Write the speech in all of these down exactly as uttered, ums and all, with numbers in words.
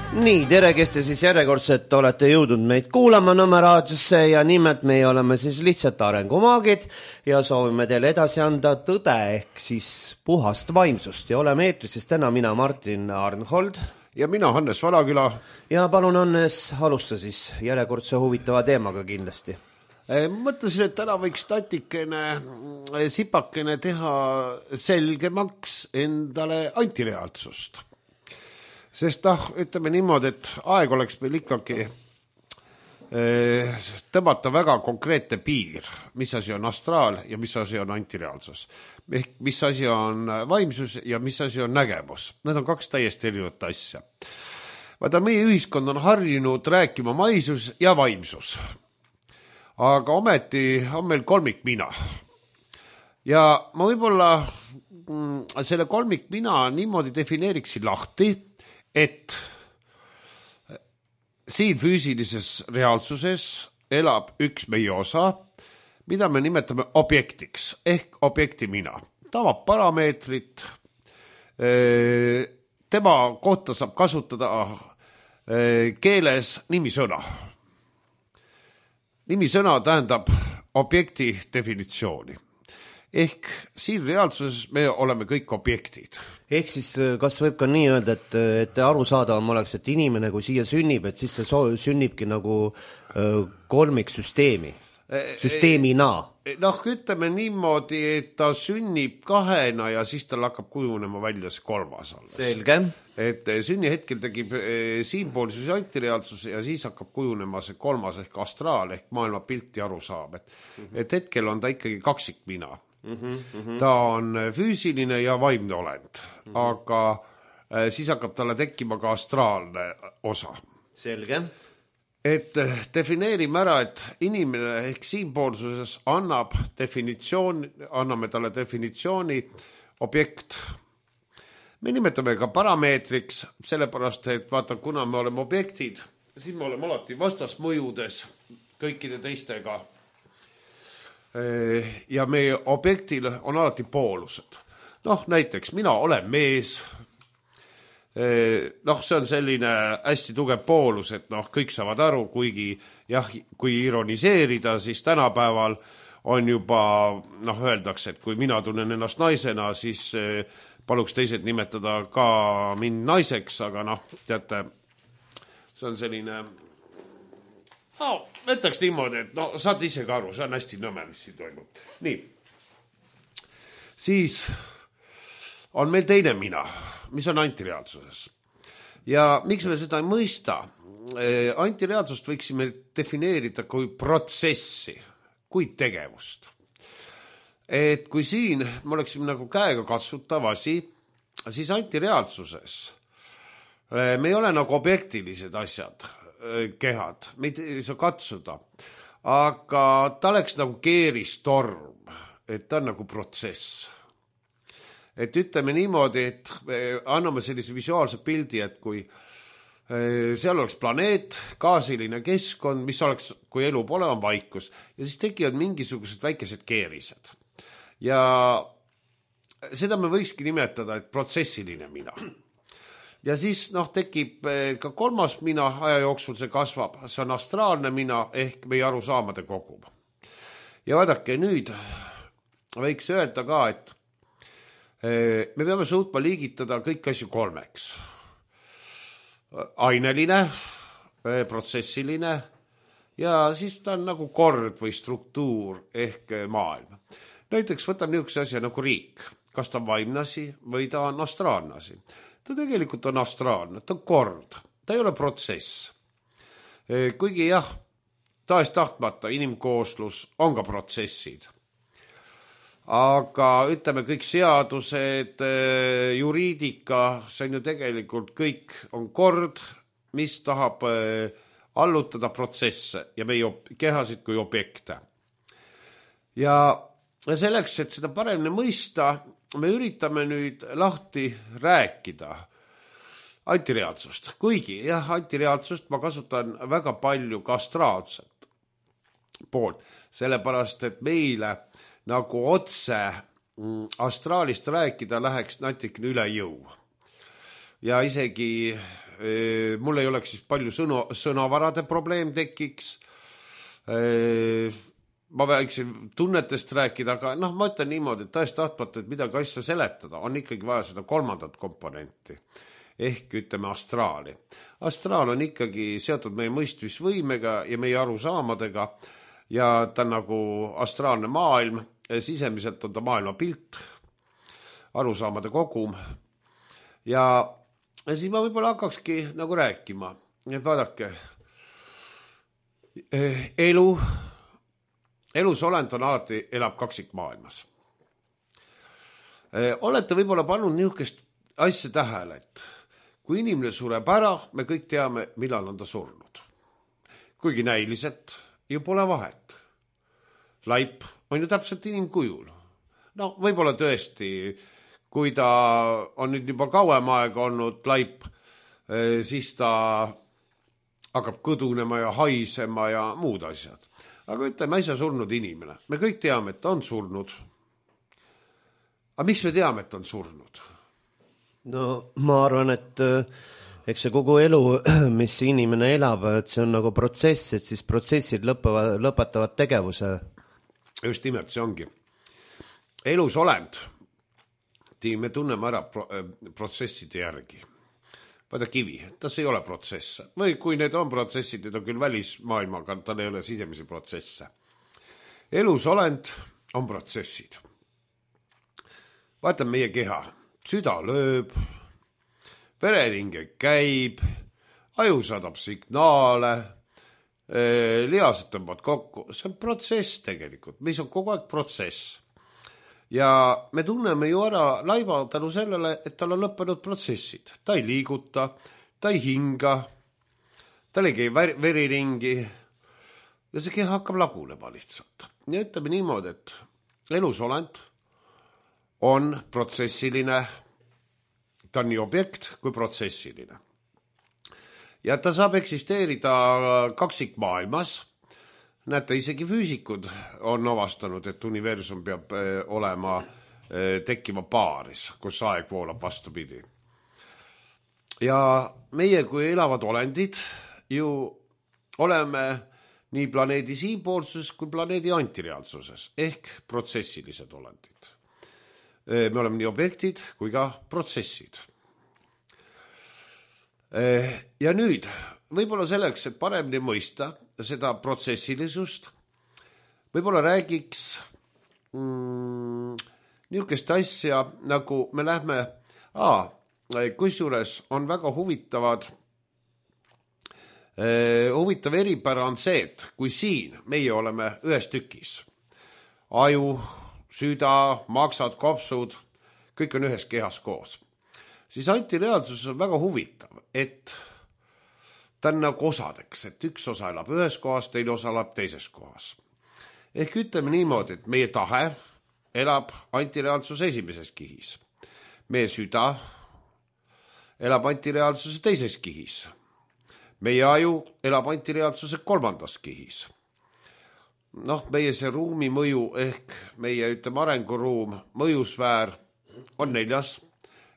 Nii, tere, kes te siis järjekordselt olete jõudnud meid kuulama Nõmme raadiosse ja nimelt meie oleme siis lihtsalt arengumaagid ja soovime teile edasi anda tõde ehk siis puhast vaimsust ja oleme eetris siis täna mina Martin Arnhold ja mina Hannes Valaküla. Ja palun Hannes, alusta siis järjekordse huvitava teemaga kindlasti. Mõtlesin, et täna võiks tatikene, sipakene teha selgemaks endale antireaalsust. Sest noh, ütleme niimoodi, et aeg oleks meil ikkagi tõmmata väga konkreetne piir, mis asi on astraal ja mis asi on antireaalsus. Ehk mis asi on vaimsus ja mis asi on nägemus. Need on kaks täiesti erinevat asja. Vaata, meie ühiskond on harjunud rääkima maisus ja vaimsus. Aga ometi on meil kolmik mina. Ja ma võib-olla selle kolmik mina niimoodi defineeriksin lahti, et siin füüsilises reaalsuses elab üks meie osa, mida me nimetame objektiks, ehk objekti mina. Ta omab parameetrit, tema kohta saab kasutada keeles nimisõna. Nimisõna tähendab objekti definitsiooni. Ehk siin reaalsuses me oleme kõik objektid. Ehk siis kas võib ka nii öelda, et, et arusaadavam oleks, et inimene kui siia sünnib, et siis see so- sünnibki nagu kolmik süsteemi, süsteemina. Noh, ütleme niimoodi, et ta sünnib kahena ja siis tal hakkab kujunema välja see kolmas alles. Selge. Et sünni hetkel tegib siinpoolsus ja antireaalsus ja siis hakkab kujunema see kolmas ehk astraal ehk maailma pilti aru saab. Et, mm-hmm. et hetkel on ta ikkagi kaksik mina. Mm-hmm, mm-hmm. Ta on füüsiline ja vaimne olend, mm-hmm. aga siis hakkab talle tekkima ka astraalne osa. Selge. Et defineerime ära, et inimene ehk siinpoolsuses annab definitsioon, anname talle definitsiooni objekt. Me nimetame ka parameetriks, sellepärast, et vaata, kuna me oleme objektid, siis me oleme alati vastasmõjudes kõikide teistega. Ja meie objektil on alati poolused. Noh, näiteks mina olen mees. Noh, see on selline hästi tugev poolus, et noh, kõik saavad aru, kuigi jah, kui ironiseerida, siis tänapäeval on juba, noh, öeldakse, et kui mina tunnen ennast naisena, siis paluks teised nimetada ka mind naiseks, aga noh, teate, see on selline, no, võtaks niimoodi, et no, saad ise ka aru, see on hästi nõme, mis siin toimub. Nii, siis on meil teine mina, mis on antireaalsuses. Ja miks me seda ei mõista? Antireaalsust võiksime defineerida kui protsessi, kui tegevust. Et kui siin me oleksime nagu käega katsutav asi, siis antireaalsuses me ei ole nagu objektilised asjad, kehad, meid ei saa katsuda, aga ta oleks nagu keeristorm, et ta on nagu protsess. Et ütleme niimoodi, et anname sellise visuaalse pildi, et kui seal oleks planeet, gaasiline keskkond, mis oleks, kui elu pole, on vaikus, ja siis tekivad mingisugused väikesed keerised. Ja seda me võikski nimetada, et protsessiline mina. Ja siis noh, tekib ka kolmas mina, aja jooksul see kasvab, see on astraalne mina ehk meie arusaamade kogum. Ja vaadake, nüüd võiks öelda ka, et me peame suutma liigitada kõik asju kolmeks. Aineline, protsessiline ja siis ta on nagu kord või struktuur ehk maailm. Näiteks võtam niisuguse asja nagu riik. Kas ta on vaimne asi või ta on astraalne asi? Ta tegelikult on astraalne, ta on kord, ta ei ole protsess. Kuigi jah, taas tahtmata inimkooslus on ka protsessid. Aga ütleme kõik seadused, juriidika, see on ju tegelikult kõik on kord, mis tahab allutada protsesse ja meie kehasid kui objekte. Ja selleks, et seda paremini mõista, me üritame nüüd lahti rääkida antireaalsust. Kuigi jah, antireaalsust ma kasutan väga palju ka astraalset poolt, sellepärast, et meile nagu otse astraalist rääkida läheks natikene üle jõu. ja isegi mul ei oleks siis palju sõnu, sõnavarade probleem tekiks. Ma võiksin tunnetest rääkida, aga noh, ma ütlen niimoodi, et tõesti tahtmata, et midagi asja seletada, on ikkagi vaja seda kolmandat komponenti ehk ütleme astraali. Astraal on ikkagi seotud meie mõistmisvõimega ja meie arusaamadega ja ta on nagu astraalne maailm, sisemiselt on ta maailma pilt, arusaamade kogum ja, ja siis ma võib-olla hakkakski nagu rääkima, et vaadake, elu, elusolend on alati, elab kaksikmaailmas. Olete võib-olla pannud niisugust asja tähele, et kui inimene sureb ära, me kõik teame, millal on ta surnud. Kuigi näiliselt ju pole vahet. Laip on ju täpselt inimkujul. No võib-olla tõesti, kui ta on nüüd juba kauem aega olnud laip, siis ta hakkab kõdunema ja haisema ja muud asjad. Aga ütleme, äsja surnud inimene. Me kõik teame, et ta on surnud. Aga miks me teame, et ta on surnud? No ma arvan, et eks see kogu elu, mis inimene elab, et see on nagu protsess, et siis protsessid lõpavad, lõpetavad tegevuse. Just nimelt, see ongi. Elusolend, me tunneme ära pro- protsesside järgi. Vaata kivi, tas ei ole protsesse. Või kui need on protsessid, need on küll välismaailmaga, tal ei ole sisemisi protsesse. Elusolend on protsessid. Vaata meie keha. Süda lööb, vereringe käib, aju saadab signaale, lihased tõmbavad kokku. See on protsess tegelikult, mis on kogu aeg protsess. Ja me tunneme ju ära laiva tänu sellele, et tal on lõppenud protsessid. Ta ei liiguta, ta ei hinga, tal ei käi veriringi ja see keha hakkab lagunema lihtsalt. Ja ütleme niimoodi, et elusolend on protsessiline, ta on nii objekt kui protsessiline. Ja ta saab eksisteerida kaksikmaailmas. Näete, isegi füüsikud on avastanud, et universum peab olema tekkima paaris, kus aeg voolab vastupidi. Ja meie kui elavad olendid ju oleme nii planeedi siinpoolsuses kui planeedi antireaalsuses ehk protsessilised olendid. Me oleme nii objektid kui ka protsessid. Ja nüüd, võib-olla selleks, et paremini mõista seda protsessilisust, võib-olla räägiks mm, niisugust asja, nagu me lähme, aa, kusjuures on väga huvitavad, eh, huvitav eripära on see, et kui siin meie oleme ühes tükis, aju, süda, maksad, kopsud, kõik on ühes kehas koos. Siis antireaalsus on väga huvitav, et ta on nagu osadeks, et üks osa elab ühes kohas, teine osa elab teises kohas. Ehk ütleme niimoodi, et meie tahe elab antireaalsuse esimeses kihis. Meie süda elab antireaalsuse teises kihis. Meie aju elab antireaalsuse kolmandas kihis. Noh, meie see ruumi mõju ehk meie ütleme arenguruum, mõjusfäär on neljas,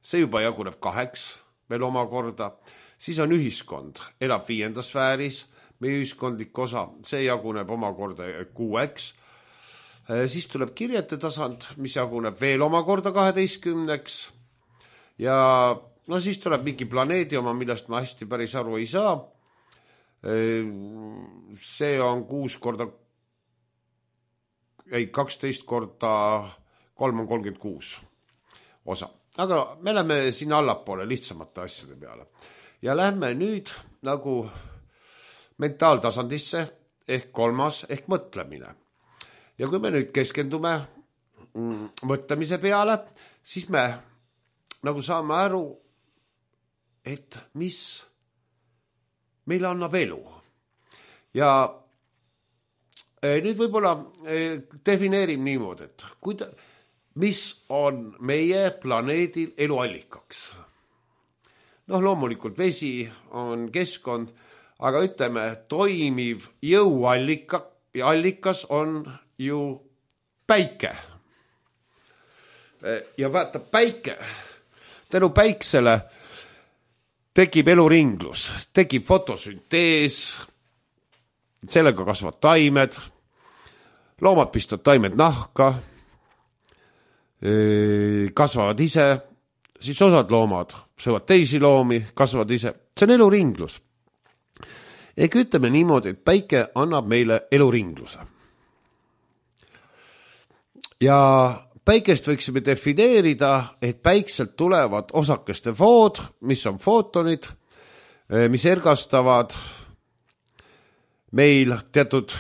see juba jaguneb kaheks veel omakorda, siis on ühiskond, elab viiendas sfääris, meie ühiskondlik osa, see jaguneb omakorda kuueks, siis tuleb kirjete tasand, mis jaguneb veel omakorda kaheteistkümneks ja no siis tuleb mingi planeedi oma, millest ma hästi päris aru ei saa, see on kuus korda ei, kaksteist korda kolm on kolmkümmend kuus osa. Aga me läheme sinna allapoole lihtsamate asjade peale. Ja lähme nüüd nagu mentaaltasandisse ehk kolmas ehk mõtlemine. Ja kui me nüüd keskendume mm, mõtlemise peale, siis me nagu saame aru, et mis meile annab elu. Ja nüüd võib-olla defineerim niimoodi, et kuida, mis on meie planeedil eluallikaks. Noh, loomulikult vesi on keskkond, aga ütleme, toimiv jõuallika, allikas on ju päike. Ja vaata, päike, tänu päiksele tekib eluringlus, tekib fotosüntees, sellega kasvavad taimed, loomad pistavad taimed nahka, kasvavad ise, siis osad loomad söövad teisi loomi, kasvavad ise. See on eluringlus. Ehk ütleme niimoodi, et päike annab meile eluringluse. Ja päikest võiksime defineerida, et päikselt tulevad osakeste food, mis on footonid, mis ergastavad meil teatud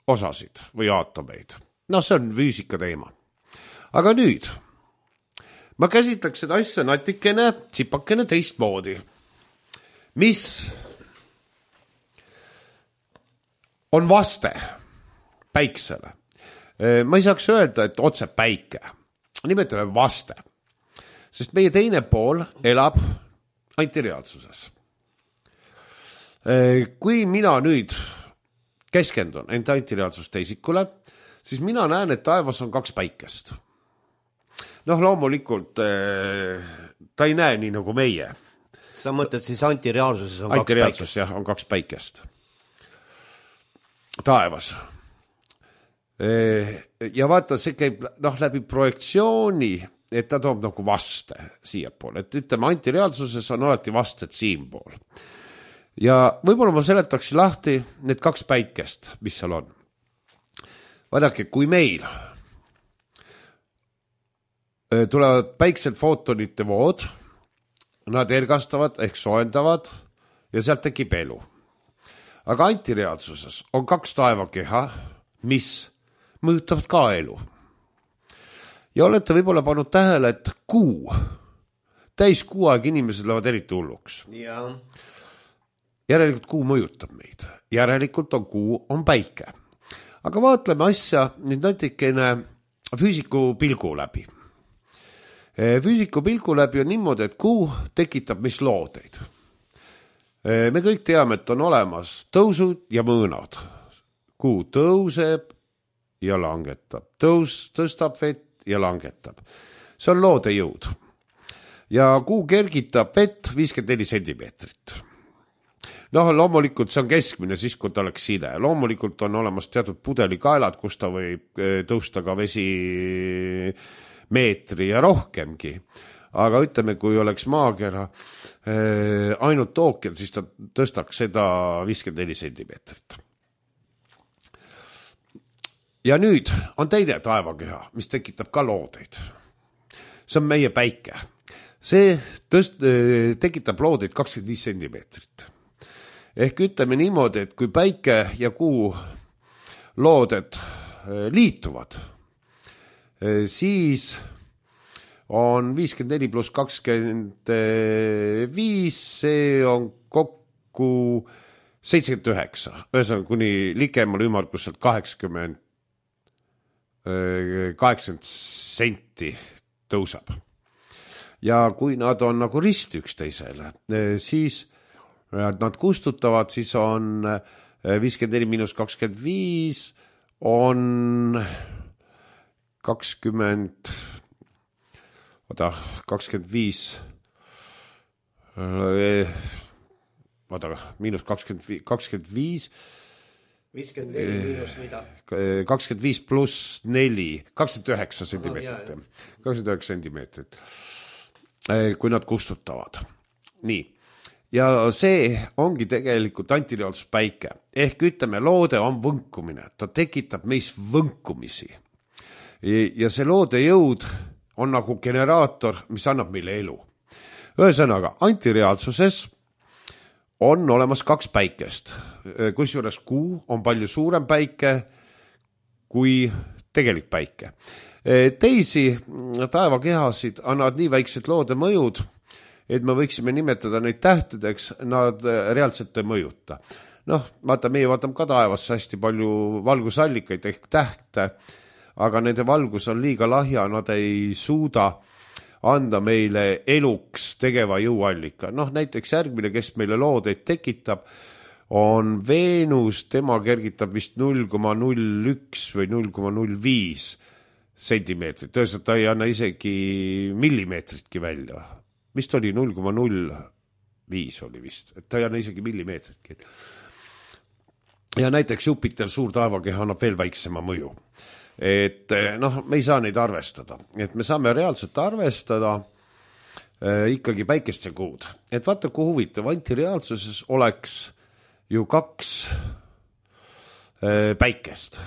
osasid või aatomeid. No see on füüsika teema. Aga nüüd, ma käsitleks seda asja natikene, tsipakene teistmoodi. Mis on vaste päiksele? Ma ei saaks öelda, et otse päike. Nimetame vaste. Sest meie teine pool elab antireaalsuses. Kui mina nüüd keskendun enda antireaalsuste isikule, siis mina näen, et taevas on kaks päikest. Noh, loomulikult ta ei näe nii nagu meie. Sa mõtled siis antireaalsuses on antireaalsus, kaks päikest? Jah, on kaks päikest. Taevas. Ja vaata, see käib noh, läbi projektsiooni, et ta toob nagu vaste siia pool. Et ütleme, antireaalsuses on alati vasted siin pool. Ja võib-olla ma seletaks lahti need kaks päikest, mis seal on. Vaadake, kui meil tulevad päikselt footonite vood, nad ergastavad ehk soendavad ja sealt tekib elu. Aga antireaalsuses on kaks taevakeha, mis mõjutavad ka elu. Ja olete võib-olla pannud tähele, et kuu, täis kuu aeg inimesed lähevad eriti hulluks. Ja. Järelikult kuu mõjutab meid. Järelikult on kuu, on päike. Aga vaatleme asja nüüd natikene füüsiku pilgu läbi. Füüsiku pilgu läbi on niimoodi, et kuu tekitab mis loodeid. Me kõik teame, et on olemas tõusud ja mõõnad. Kuu tõuseb ja langetab. Tõus tõstab vett ja langetab. See on loode jõud. Ja kuu kergitab vett viiskümmend neli sentimeetrit. Noh, loomulikult see on keskmine siis, kui ta oleks side. Loomulikult on olemas teatud pudelikaelad, kus ta võib tõusta ka vesi meetri ja rohkemgi. Aga ütleme, kui oleks maakera ainult ookean, siis ta tõstaks seda viiskümmend neli sentimeetrit. Ja nüüd on teine taevakeha, mis tekitab ka loodeid. See on meie päike. See tõst, tekitab loodeid kakskümmend viis sentimeetrit. Ehk ütleme niimoodi, et kui päike ja kuu looded liituvad, siis on viiskümmend neli pluss kakskümmend viis, see on kokku seitsekümmend üheksa. Ühesõnaga kuni likemal ümmarguselt kaheksakümmend kaheksakümmend senti tõuseb. Ja kui nad on nagu rist üksteisele, siis nad kustutavad, siis on viiskümmend neli miinus kakskümmend viis on kakskümmend, oda, kakskümmend viis, oda, miinus kakskümmend viis, viiskümmend neli miinus mida? kakskümmend viis pluss neli, kakskümmend üheksa sentimeetrit. kakskümmend üheksa sentimeetrit, kui nad kustutavad. Nii. Ja see ongi tegelikult antireaalsus päike. Ehk ütleme, loode on võnkumine. Ta tekitab meis võnkumisi. Ja see loode jõud on nagu generaator, mis annab meile elu. Ühesõnaga, antireaalsuses on olemas kaks päikest, kusjuures kuu on palju suurem päike kui tegelik päike. Teisi taevakehasid annavad nii väiksed loode mõjud, et me võiksime nimetada neid tähtedeks, nad reaalselt ei mõjuta. Noh, vaata, meie vaatame ka taevasse hästi palju valgusallikaid ehk tähte, aga nende valgus on liiga lahja, nad ei suuda anda meile eluks tegeva jõuallika. Noh, näiteks järgmine, kes meile loodeid tekitab, on Veenus, tema kergitab vist null koma null üks või null koma null viis sentimeetrit. Tõesõtt ta ei anna isegi millimeetritki välja. Vist oli null koma null viis oli vist, et ta ei anna isegi millimeetritki. Ja näiteks Jupiter, suur taevakeha, annab veel väiksema mõju. Et noh, me ei saa neid arvestada, et me saame reaalselt arvestada äh, ikkagi päikest ja kuud. Et vaata, kui huvitav, antireaalsuses oleks ju kaks äh, päikest.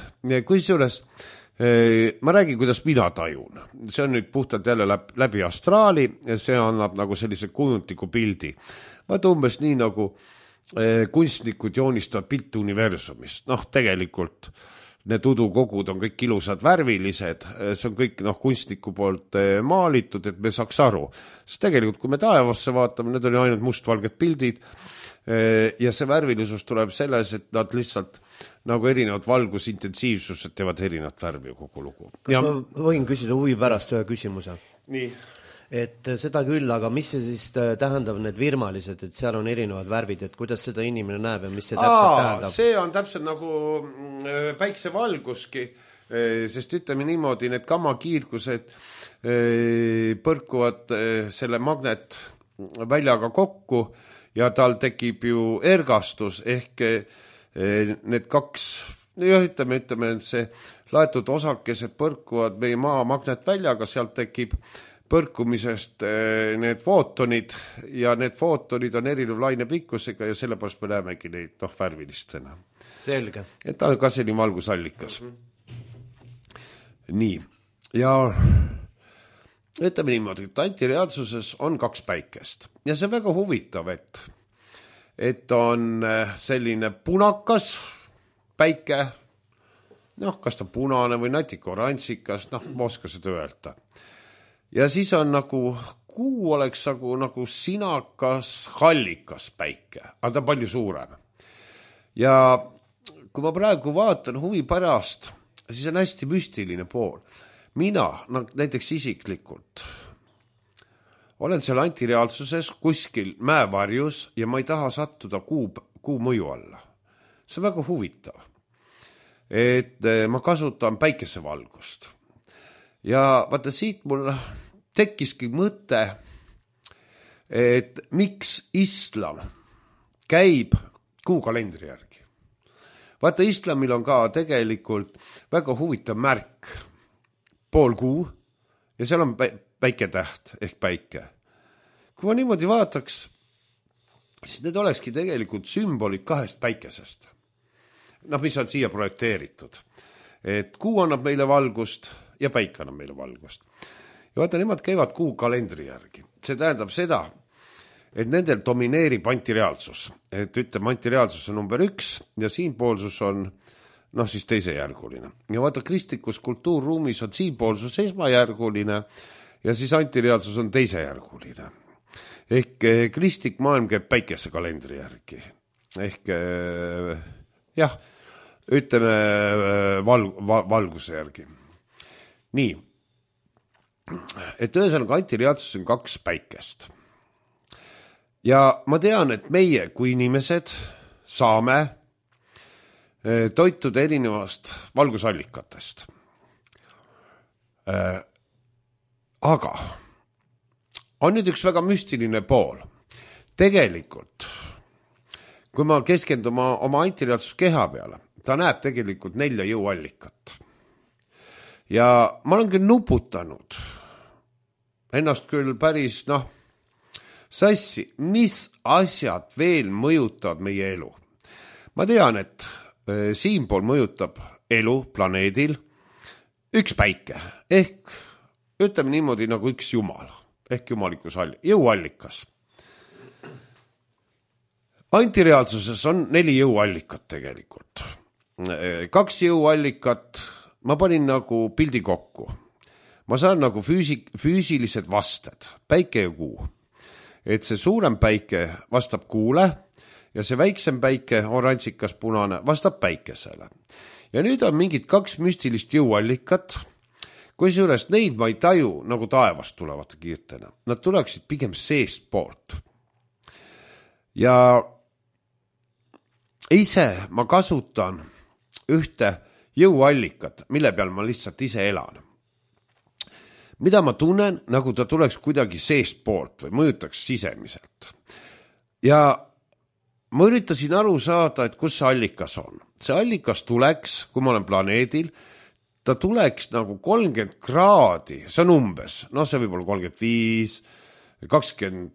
Kusjuures äh, ma räägin, kuidas mina tajun. See on nüüd puhtalt jälle läbi, läbi astraali ja see annab nagu sellise kujuntiku pildi. Vaata umbes nii nagu äh, kunstnikud joonistavad pilti universumist. Noh, tegelikult need udukogud on kõik ilusad värvilised, see on kõik noh, kunstniku poolt maalitud, et me saaks aru. Sest tegelikult, kui me taevasse vaatame, need on ainult mustvalged pildid ja see värvilisus tuleb selles, et nad lihtsalt nagu erinevad valgusintensiivsused teevad erinevat värvi kogu lugu. Kas ja... ma võin küsida huvi pärast ühe küsimuse? Nii. Et seda küll, aga mis see siis tähendab need virmalised, et seal on erinevad värvid, et kuidas seda inimene näeb ja mis see täpselt Aa, tähendab? See on täpselt nagu päiksevalguski, sest ütleme niimoodi, need gammakiirgused põrkuvad selle magnetväljaga kokku ja tal tekib ju ergastus ehk need kaks, jah, ütleme, ütleme, et see laetud osakesed põrkuvad meie maa magnetväljaga, sealt tekib põrkumisest need footonid ja need footonid on erinev laine pikkusega ja sellepärast me näemegi neid noh, värvilistena. Selge. Et ta on ka selline valgusallikas. Mm-hmm. Nii. Ja ütleme niimoodi, et antireaalsuses on kaks päikest ja see on väga huvitav, et, et on selline punakas päike, noh, kas ta punane või natuke oranžikas, noh, ma oska seda öelda. Ja siis on nagu, kuu oleks nagu, nagu sinakas, hallikas päike, aga ta on palju suurem. Ja kui ma praegu vaatan huvi pärast, siis on hästi müstiline pool. Mina, näiteks isiklikult, olen seal antireaalsuses kuskil mäevarjus ja ma ei taha sattuda kuu, kuu mõju alla. See on väga huvitav, et ma kasutan päikesevalgust. Ja vaata siit mul tekkiski mõte, et miks islam käib kuukalendri järgi. Vaata, islamil on ka tegelikult väga huvitav märk, pool kuu, ja seal on päiketäht ehk päike. Kui ma niimoodi vaataks, siis need olekski tegelikult sümbolid kahest päikesest. Noh, mis on siia projekteeritud. Et kuu annab meile valgust ja päike annab meile valgust. Ja vaata, nemad käivad kuu kalendri järgi. See tähendab seda, et nendel domineerib antireaalsus. Et ütleme, antireaalsus on number üks ja siinpoolsus on noh, siis teisejärguline. Ja vaata, kristlikus kultuurruumis on siinpoolsus esmajärguline ja siis antireaalsus on teisejärguline. Ehk kristlik maailm käib päikese kalendri järgi. Ehk jah, ütleme val, val, valguse järgi. Nii, et ühesõnaga antireaalsus on kaks päikest. Ja ma tean, et meie kui inimesed saame toituda erinevast valgusallikatest. Aga on nüüd üks väga müstiline pool. Tegelikult, kui ma keskendun oma antireaalsus keha peale, ta näeb tegelikult nelja jõuallikat. Ja ma olen küll nuputanud ennast küll päris, noh, sassi, mis asjad veel mõjutavad meie elu. Ma tean, et siinpool mõjutab elu planeedil üks päike, ehk ütleme niimoodi nagu üks jumal, ehk jumalikus jõuallikas. Antireaalsuses on neli jõuallikat tegelikult. Kaks jõuallikat, ma panin nagu pildi kokku. Ma saan nagu füüsik, füüsilised vasted, päike ja kuu. Et see suurem päike vastab kuule ja see väiksem päike, oranžikas punane, vastab päikesele. Ja nüüd on mingid kaks müstilist jõuallikat, kusjuures neid ma ei taju nagu taevast tulevate kiirtena. Nad tuleksid pigem seest poolt. Ja ise ma kasutan ühte jõuallikat, mille peal ma lihtsalt ise elan. Mida ma tunnen, nagu ta tuleks kuidagi seest poolt või mõjutaks sisemiselt. ja ma üritasin aru saada, et kus see allikas on. See allikas tuleks, kui ma olen planeedil, ta tuleks nagu kolmkümmend kraadi, see on umbes, noh see võib olla kolmkümmend viis, kakskümmend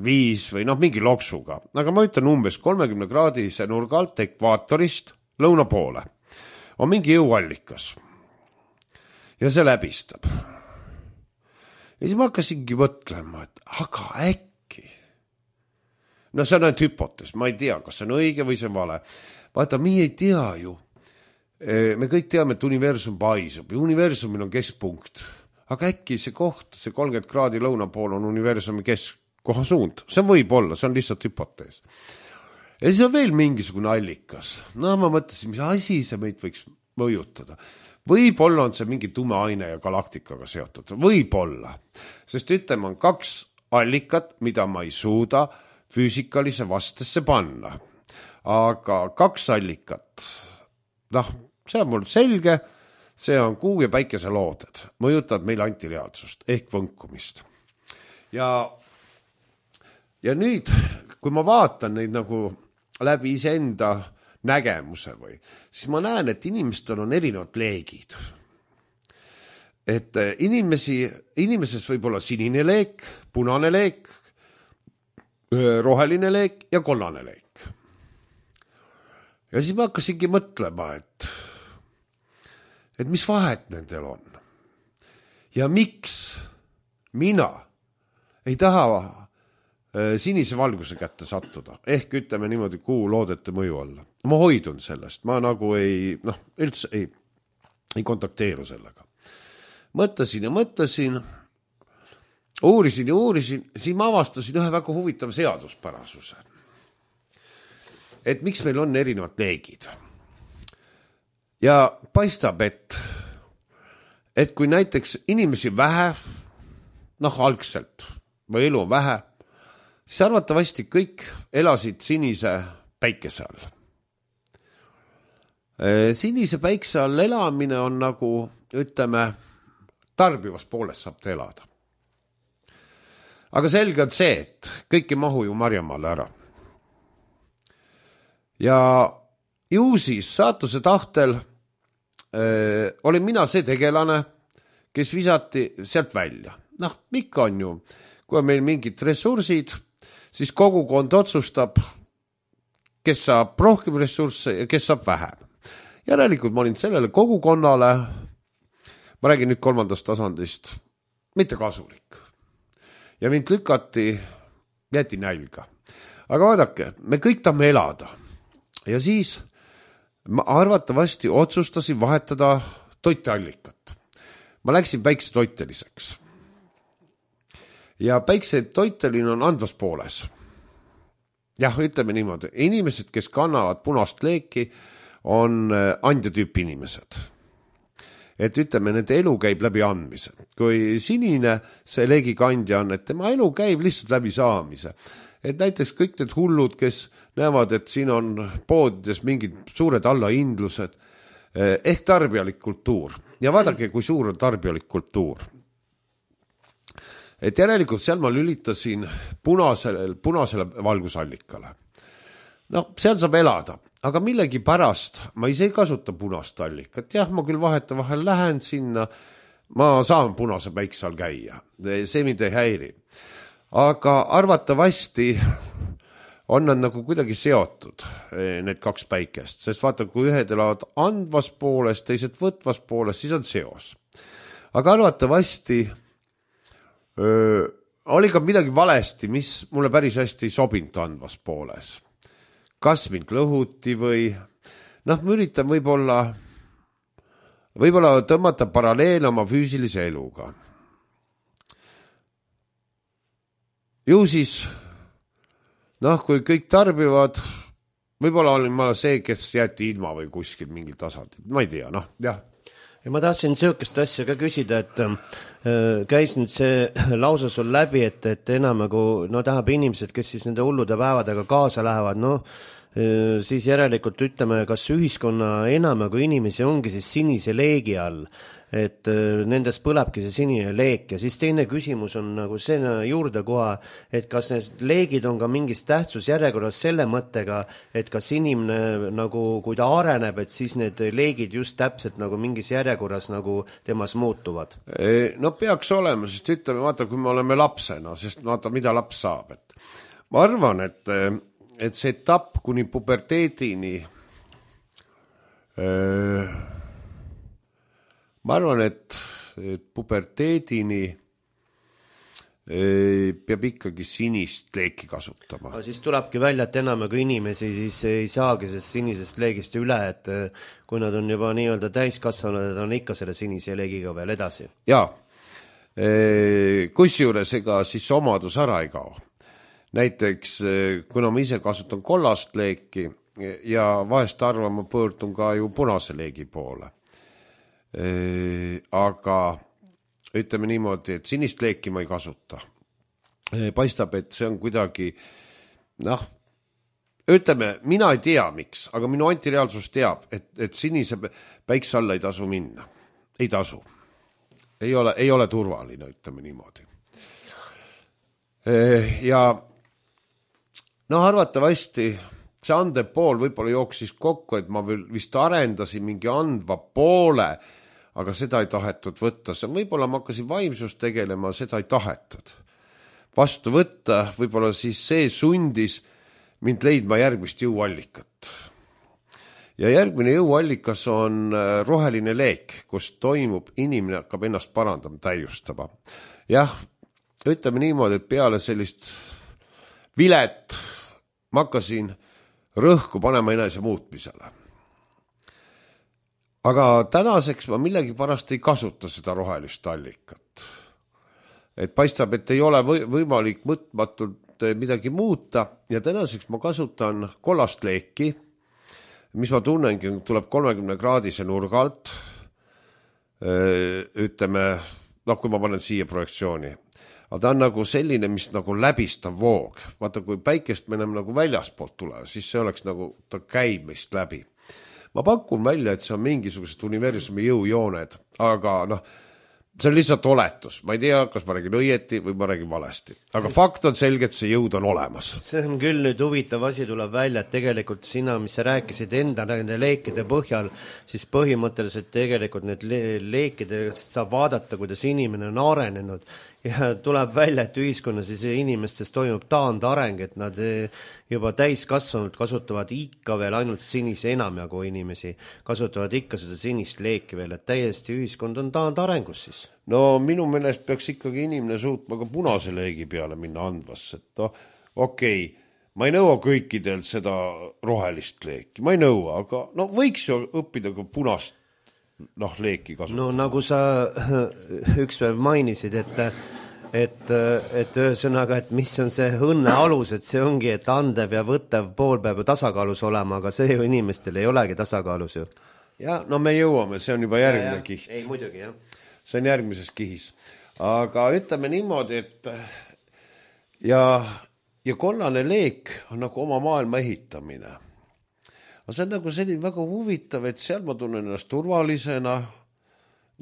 viis või noh mingi loksuga, aga ma ütlen umbes kolmekümne kraadise nurga alt ekvaatorist lõuna poole on mingi jõuallikas ja see läbistab. Ja siis ma hakkasingi mõtlema, et aga äkki. No see on ainult hüpotees, ma ei tea, kas see on õige või see on vale. Vaata, mi ei tea ju. Me kõik teame, et universum paisub ja universumil on keskpunkt. Aga äkki see koht, see kolmkümmend kraadi lõuna pool on universumi keskkoha suund. See võib olla, see on lihtsalt hüpotees. Ja siis on veel mingisugune allikas. No ma mõtlesin, mis asi see meid võiks mõjutada. Võib-olla on see mingi tume aine ja galaktikaga seotud. Võib-olla. Sest ütleme, on kaks allikat, mida ma ei suuda füüsikalise vastesse panna. Aga kaks allikat, noh, see on mul selge, see on kuu ja päikese looded. Mõjutavad meil antireaalsust ehk võnkumist. Ja, ja nüüd, kui ma vaatan neid nagu läbi iseenda nägemuse või, siis ma näen, et inimestel on erinevad leegid. Et inimesi, inimeses võib olla sinine leek, punane leek, roheline leek ja kollane leek. Ja siis ma hakkasingi mõtlema, et, et mis vahet nendel on. Ja miks mina ei taha sinise valguse kätte sattuda. Ehk ütleme niimoodi kuu loodete mõju alla. Ma hoidun sellest. Ma nagu ei, noh, üldse ei, ei kontakteeru sellega. Mõtlesin ja mõtlesin, uurisin ja uurisin, siis ma avastasin ühe väga huvitav seaduspärasuse. Et miks meil on erinevad leegid. Ja paistab, et, et kui näiteks inimesi vähe, noh, algselt, või elu on vähe, siis arvatavasti kõik elasid sinise päikese all. Sinise päikse all elamine on nagu, ütleme, tarbivas poolest saab te elada. Aga selge on see, et kõik ei mahu ju Marjamaale ära. Ja ju siis saatuse tahtel öö, olin mina see tegelane, kes visati sealt välja. Noh, mikka on ju, kui on meil mingid ressursid, siis kogukond otsustab, kes saab rohkem ressursse ja kes saab vähem. Järelikult ma olin sellele kogukonnale, ma räägin nüüd kolmandast tasandist, mitte kasulik. Ja mind lükati, jäeti nälga. Aga vaadake, me kõik tahame elada. Ja siis ma arvatavasti otsustasin vahetada toiteallikat. Ma läksin päiksetoiteliseks. Ja päiksetoiteline on andvas pooles. Jah, ütleme niimoodi. Inimesed, kes kannavad punast leeki, on andjatüüpi inimesed. Et ütleme, nende elu käib läbi andmise. Kui sinine see leegikandja on, et tema elu käib lihtsalt läbi saamise. Et näiteks kõik need hullud, kes näevad, et siin on poodides mingid suured allahindlused, ehk tarbijalik kultuur. Ja vaadake, kui suur on tarbijalik kultuur. Et järelikult seal ma lülitasin punasele, punasele valgusallikale. No, seal saab elada, aga millegi pärast ma ise ei kasuta punast allikat. Jah, ma küll vaheta vahel lähen sinna, ma saan punase päikse all käia. See mind ei häiri. Aga arvatavasti on nad nagu kuidagi seotud, need kaks päikest. Sest vaata, kui ühed elavad andvas poolest, teised võtvas poolest, siis on seos. Aga arvatavasti Öö, oli ka midagi valesti, mis mulle päris hästi ei sobinud andvas pooles. Kas mind lõhuti või, noh, ma üritan võib-olla, võib-olla tõmmata paralleele oma füüsilise eluga. Ju siis, noh, kui kõik tarbivad, võib-olla olin ma see, kes jäeti ilma või kuskil mingil tasandil, ma ei tea, noh, jah. Ja ma tahtsin sihukest asja ka küsida, et äh, käis nüüd see lause sul läbi, et, et enam nagu, no tahab inimesed, kes siis nende hullude päevadega kaasa lähevad, no äh, siis järelikult ütleme, kas ühiskonna enam nagu inimesi ongi siis sinise leegi all. et nendes põlebki see sinine leek ja siis teine küsimus on nagu see juurde koha, et kas need leegid on ka mingis tähtsusjärjekorras selle mõttega, et kas inimene nagu, kui ta areneb, et siis need leegid just täpselt nagu mingis järjekorras nagu temas muutuvad? No peaks olema, sest ütleme, vaata, kui me oleme lapsena, sest vaata, mida laps saab, et ma arvan, et et see etapp kuni puberteedini öö, ma arvan, et, et puberteedini öö, peab ikkagi sinist leeki kasutama. No, siis tulebki välja, et enamaga inimesi siis ei saagi sellest sinisest leegist üle, et kui nad on juba nii-öelda täiskasvanud, et on ikka selle sinise leegiga veel edasi. Jaa, kusjuures ega siis omadus ära ei kao. Näiteks, kuna ma ise kasutan kollast leeki ja vahest arvan, ma pöördun ka ju punase leegi poole. Aga ütleme niimoodi, et sinist leeki ma ei kasuta. Paistab, et see on kuidagi, noh, ütleme, mina ei tea miks, aga minu antireaalsus teab, et, et sinise päikse alla ei tasu minna. Ei tasu. Ei ole, ei ole turvaline, ütleme niimoodi. Ja no arvatavasti see andev pool võib-olla jooksis kokku, et ma vist arendasin mingi andva poole, aga seda ei tahetud võtta. Võib-olla ma hakkasin vaimsust tegelema, seda ei tahetud vastu võtta. Võib-olla siis see sundis mind leidma järgmist jõuallikat. Ja järgmine jõuallikas on roheline leek, kus toimub, inimene hakkab ennast parandama, täiustama. Jah, ütleme niimoodi, et peale sellist vilet ma hakkasin rõhku panema enese muutmisele. Aga tänaseks ma millegi pärast ei kasuta seda rohelist allikat. Et paistab, et ei ole võimalik mõtmatult midagi muuta ja tänaseks ma kasutan kollast leeki, mis ma tunnengi, tuleb kolmekümne kraadise nurgalt, ütleme, noh, kui ma panen siia projektsiooni. Aga ta on nagu selline, mis nagu läbistav voog. Vaata, kui päikest me enam nagu väljaspoolt tule, siis see oleks nagu, ta käib meist läbi. Ma pakun välja, et see on mingisugused universumi jõujooned, aga noh, see on lihtsalt oletus. Ma ei tea, kas ma räägin õieti või ma räägin valesti. Aga fakt on selge, et see jõud on olemas. See on küll nüüd huvitav asi tuleb välja, et tegelikult sina, mis sa rääkisid enda nende leekide põhjal, siis põhimõtteliselt tegelikult need leekidest saab vaadata, kuidas inimene on arenenud. Ja tuleb välja, et ühiskonnas siis inimestes toimub taandareng, et nad juba täiskasvanud kasutavad ikka veel ainult sinise enamjagu inimesi, kasutavad ikka seda sinist leeki veel, et täiesti ühiskond on taandarengus siis. No minu meelest peaks ikkagi inimene suutma ka punase leegi peale minna andvasse, et no, okei, okay, ma ei nõua kõikidelt seda rohelist leeki, ma ei nõua, aga no võiks ju õppida ka punast noh, leeki kasutada. No nagu sa üks päev mainisid, et, et, et ühesõnaga, et mis on see õnne alus, et see ongi, et andev ja võttev pool peab tasakaalus olema, aga see ju inimestel ei olegi tasakaalus ju. Ja, no me jõuame, see on juba järgmine ja, kiht. Ei, muidugi, jah. See on järgmises kihis. Aga ütleme niimoodi, et ja, ja kollane leek on nagu oma maailma ehitamine. Aga see on nagu selline väga huvitav, et seal ma tunnen ennast turvalisena,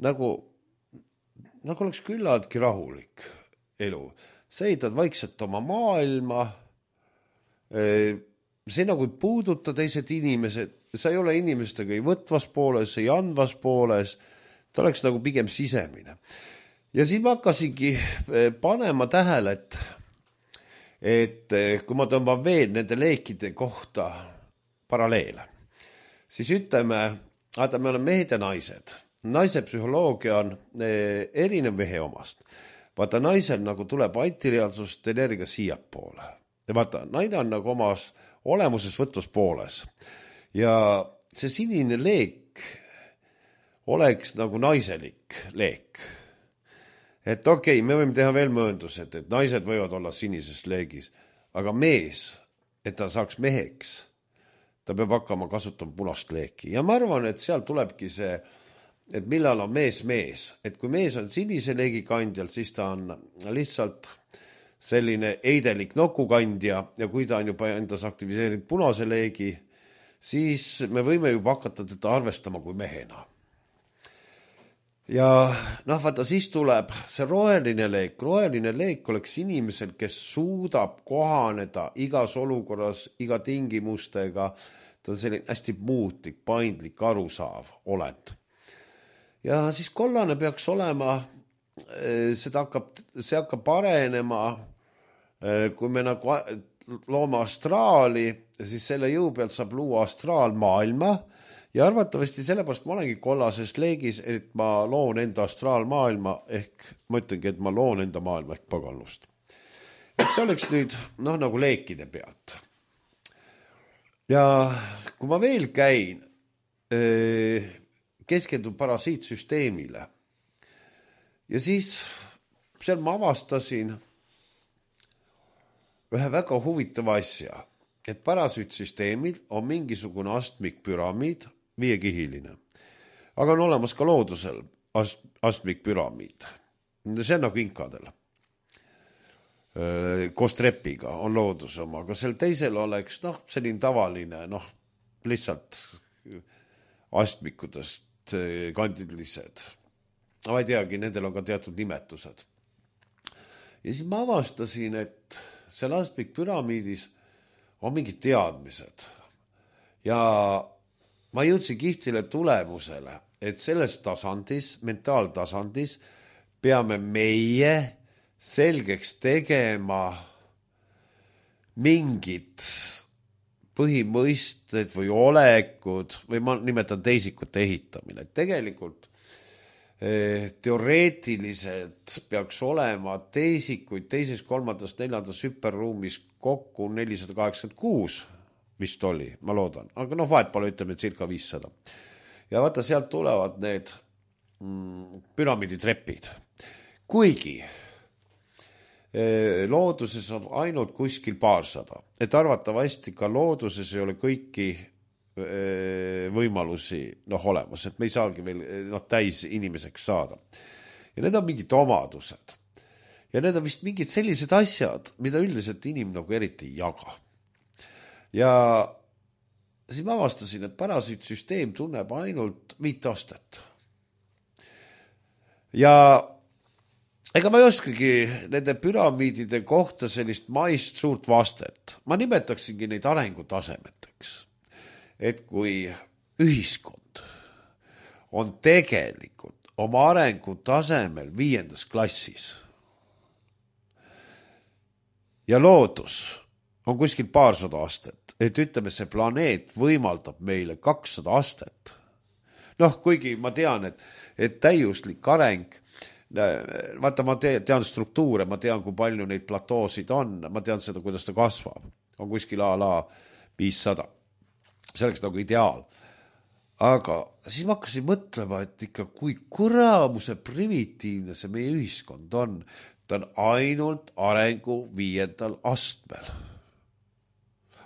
nagu, nagu oleks küllaltki rahulik elu. Sa ehitad vaikselt oma maailma, see nagu ei puuduta teised inimesed, sa ei ole inimestega ei võtvas pooles, ei andvas pooles, ta oleks nagu pigem sisemine. Ja siis ma hakkasingi panema tähele, et, et kui ma tõmban veel nende leekide kohta paralleele, siis ütleme, vaata, me oleme mehed ja naised. Naise psühholoogia on erinev mehe omast. Vaata, naisel nagu tuleb antireaalsust energia siiapoole. Ja vaata, naine on nagu omas olemuses võtvas pooles. Ja see sinine leek oleks nagu naiselik leek. Et okei, okay, me võime teha veel mööndused, et naised võivad olla sinises leegis, aga mees, et ta saaks meheks, ta peab hakkama kasutama punast leeki. Ja ma arvan, et seal tulebki see, et millal on mees mees. Et kui mees on sinise leegi kandjal, siis ta on lihtsalt selline eidelik nokukandja ja kui ta on juba endas aktiviseerinud punase leegi, siis me võime juba hakata teda arvestama kui mehena. ja noh, vaata, siis tuleb see roheline leek. Roheline leek oleks inimesel, kes suudab kohaneda igas olukorras, iga tingimustega. Ta on selline hästi muutlik, paindlik, arusaav olend. Ja siis kollane peaks olema, seda hakkab, see hakkab arenema, kui me nagu loome astraali, siis selle jõu pealt saab luua astraalmaailma ja arvatavasti sellepärast ma olengi kollases leegis, et ma loon enda astraalmaailma ehk ma ütlengi, et ma loon enda maailma ehk paganlust. Et see oleks nüüd noh, nagu leekide pealt. Ja kui ma veel käin, keskendun parasiitsüsteemile ja siis seal ma avastasin ühe väga huvitava asja, et parasüütsüsteemil on mingisugune astmikpüramiid, viiekihiline. Aga on olemas ka loodusel ast, astmikpüramiid. See on nagu inkadel. Koos trepiga on looduse oma, aga sel teisel oleks noh, selline tavaline, noh, lihtsalt astmikudest kandilised. Ma ei teagi, nendel on ka teatud nimetused. Ja siis ma avastasin, et seal astmikpüramiidis on mingid teadmised. Ja ma jõudsin kihtile tulemusele, et selles tasandis, mentaaltasandis, peame meie selgeks tegema mingid põhimõisted või olekud, või ma nimetan teisikute ehitamine. Tegelikult eh, teoreetiliselt peaks olema teisikuid teises, kolmandas, neljandas hüperruumis kokku nelisada kaheksakümmend kuus, vist oli, ma loodan. Aga noh, vahet pole, ütleme circa viissada. Ja vaata, sealt tulevad need mm, püramiiditrepid. Kuigi looduses on ainult kuskil paarsada, et arvatavasti ka looduses ei ole kõiki võimalusi noh, olemas, et me ei saagi veel noh, täis inimeseks saada. Ja need on mingid omadused. Ja need on vist mingid sellised asjad, mida üldiselt inimene nagu eriti ei jaga. Ja siis ma avastasin, et parasüütsüsteem tunneb ainult viit astet. Ja ega ma ei oskagi nende püramiidide kohta sellist maist suurt vastet. Ma nimetaksingi neid arengutasemeteks. Et kui ühiskond on tegelikult oma arengutasemel viiendas klassis ja loodus on kuskil paarsada astet, et ütleme, see planeet võimaldab meile kakssada astet. Noh, kuigi ma tean, et, et täiuslik areng vaata, ma tean struktuure, ma tean, kui palju neid platoosid on, ma tean seda, kuidas ta kasvab. On kuskil a la viissada. See oleks nagu ideaal. Aga siis ma hakkasin mõtlema, et ikka kui kuramuse primitiivne see meie ühiskond on, ta on ainult arengu viiendal astmel.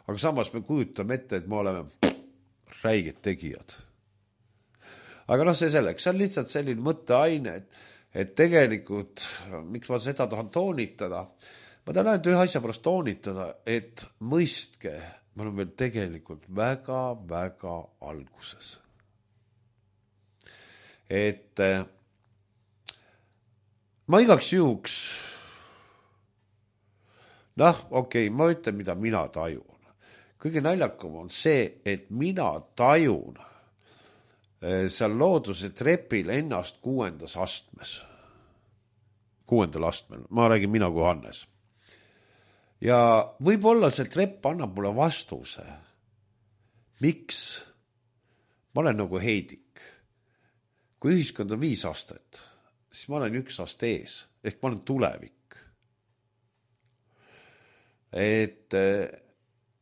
Aga samas me kujutame ette, et me oleme räiged tegijad. Aga noh, see selleks, see on lihtsalt selline mõtteaine, et et tegelikult, miks ma seda tahan toonitada, ma tahan ainult ühe asja pärast toonitada, et mõistke, ma olen veel tegelikult väga, väga alguses. Et ma igaks juhuks, noh, okei, okay, ma ütlen, mida mina tajun. Kõige naljakam on see, et mina tajun seal looduse trepil ennast kuuendas astmes. Kuuendal astmel. Ma räägin mina kui Hannes. Ja võib-olla see trepp annab mulle vastuse. Miks? Ma olen nagu heidik. Kui ühiskond on viis astet, siis ma olen üks aste ees. Ehk ma olen tulevik. Et...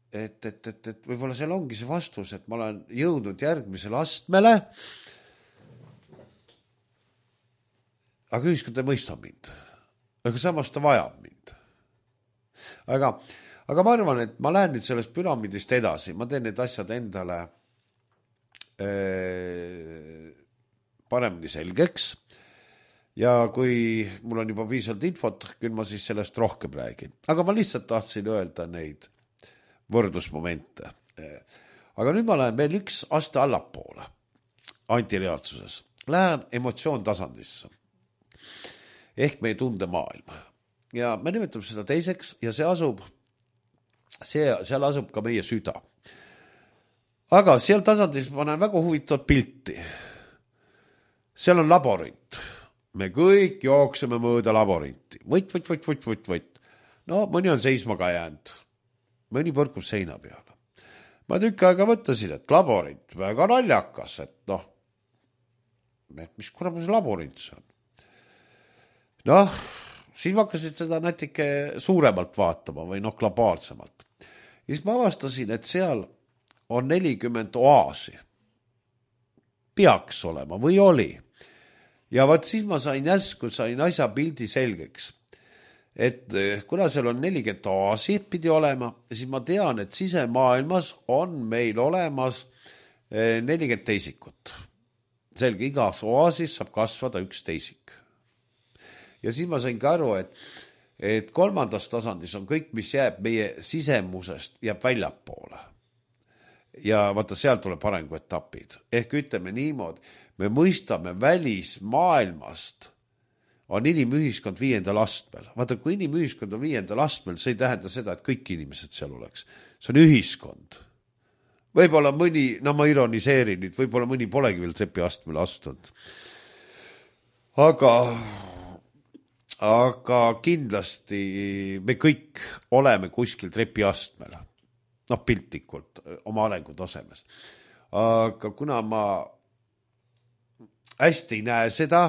Et, et, et, et võib-olla seal ongi see vastus, et ma olen jõudnud järgmisele astmele, aga ühiskond ei mõista mind. Aga samas ta vajab mind. Aga, aga ma arvan, et ma lähen nüüd sellest püramiidist edasi. Ma teen need asjad endale ee, paremini selgeks. Ja kui mul on juba piisavalt infot, küll ma siis sellest rohkem räägin. Aga ma lihtsalt tahtsin öelda neid võrdlusmomente. Aga nüüd ma lähen veel üks aste allapoole antireaalsuses. lähen emotsioon tasandisse ehk meie tundemaailma ja me nimetame seda teiseks ja see asub, see, seal asub ka meie süda. Aga seal tasandis ma näen väga huvitavat pilti. Seal on laborint. Me kõik jookseme mööda laborinti. Võt, võt, võt, võt, võt, võt. No mõni on seisma ka jäänud. Mõni põrkub seina peale. Ma tükk aega mõtlesin, et laborint, väga naljakas, et noh, mis kurama see laborint see on? Noh, siis ma hakkasin seda natuke suuremalt vaatama või noh, globaalsemalt. Ja siis ma avastasin, et seal on nelikümmend oaasi. Peaks olema või oli. Ja vaat siis ma sain järsku, sain asja pildi selgeks. Et kuna seal on nelikümmend oaasi pidi olema, siis ma tean, et sisemaailmas on meil olemas nelikümmend teisikut. Selge, igas oaasis saab kasvada üks teisik. Ja siis ma sain ka aru, et, et kolmandas tasandis on kõik, mis jääb meie sisemusest, jääb väljapoole. Ja vaata, seal tuleb arenguetapid. Ehk ütleme niimoodi, me mõistame välismaailmast, on inimühiskond viiendal astmel. Vaata, kui inimühiskond on viiendal astmel, see ei tähenda seda, et kõik inimesed seal oleks. See on ühiskond. Võib-olla mõni, no ma ironiseerin nüüd, võib-olla mõni polegi veel trepi astmele astunud. Aga... aga kindlasti me kõik oleme kuskil trepi astmel, noh piltlikult oma arengu tasemes. Aga kuna ma hästi ei näe seda,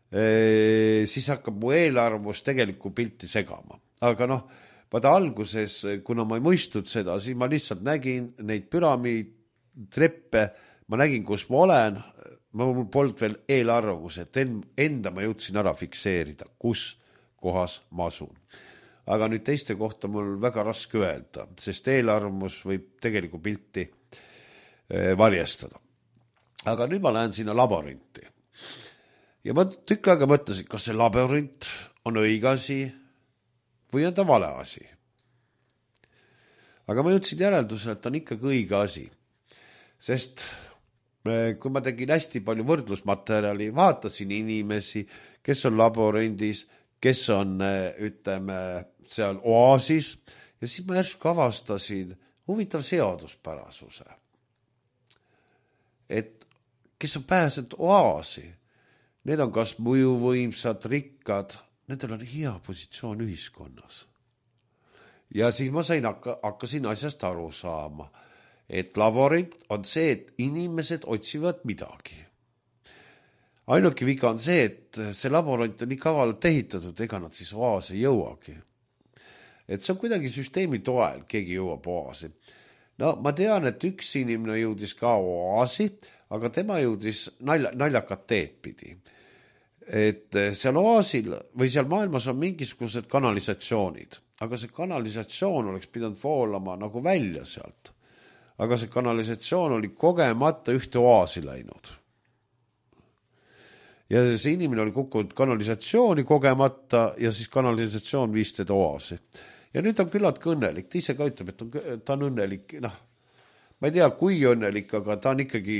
siis hakkab mu eelarvus tegelikult pilti segama. Aga noh, vaata alguses, kuna ma ei mõistnud seda, siis ma lihtsalt nägin neid püramiid, treppe, ma nägin, kus ma olen, ma polnud veel eelarvamus, et enda ma jõudsin ära fikseerida, kus kohas ma asun. Aga nüüd teiste kohta mul väga raske öelda, sest eelarvamus võib tegelikult pilti varjestada. Aga nüüd ma lähen sinna laborinti. Ja ma tükk aega mõtlesin, kas see laborint on õige asi või on ta vale asi. Aga ma jõudsin järeldusele, et ta on ikkagi õige asi, sest kui ma tegin hästi palju võrdlusmaterjali, vaatasin inimesi, kes on laborindis, kes on, ütleme, seal oaasis ja siis ma järsku avastasin huvitav seaduspärasuse. Et kes on pääsenud oaasi, need on kas mõjuvõimsad, rikkad, nendel on hea positsioon ühiskonnas. Ja siis ma sain, hakkasin asjast aru saama, et laborint on see, et inimesed otsivad midagi. Ainuke viga on see, et see laborant on nii kavalalt ehitatud, ega nad siis oaasi jõuagi. Et see on kuidagi süsteemi toel, keegi jõuab oaasi. No ma tean, et üks inimene jõudis ka oaasi, aga tema jõudis nalja, naljakat teed pidi. Et seal oaasil või seal maailmas on mingisugused kanalisatsioonid, aga see kanalisatsioon oleks pidanud voolama nagu välja sealt. Aga see kanalisatsioon oli kogemata ühte oaasi läinud. Ja see inimene oli kukkunud kanalisatsiooni kogemata ja siis kanalisatsioon viis teda oaasi. Ja nüüd on küllalt õnnelik. Ta ise ka ütleb, et on, ta on õnnelik. Noh, ma ei tea, kui õnnelik, aga ta on ikkagi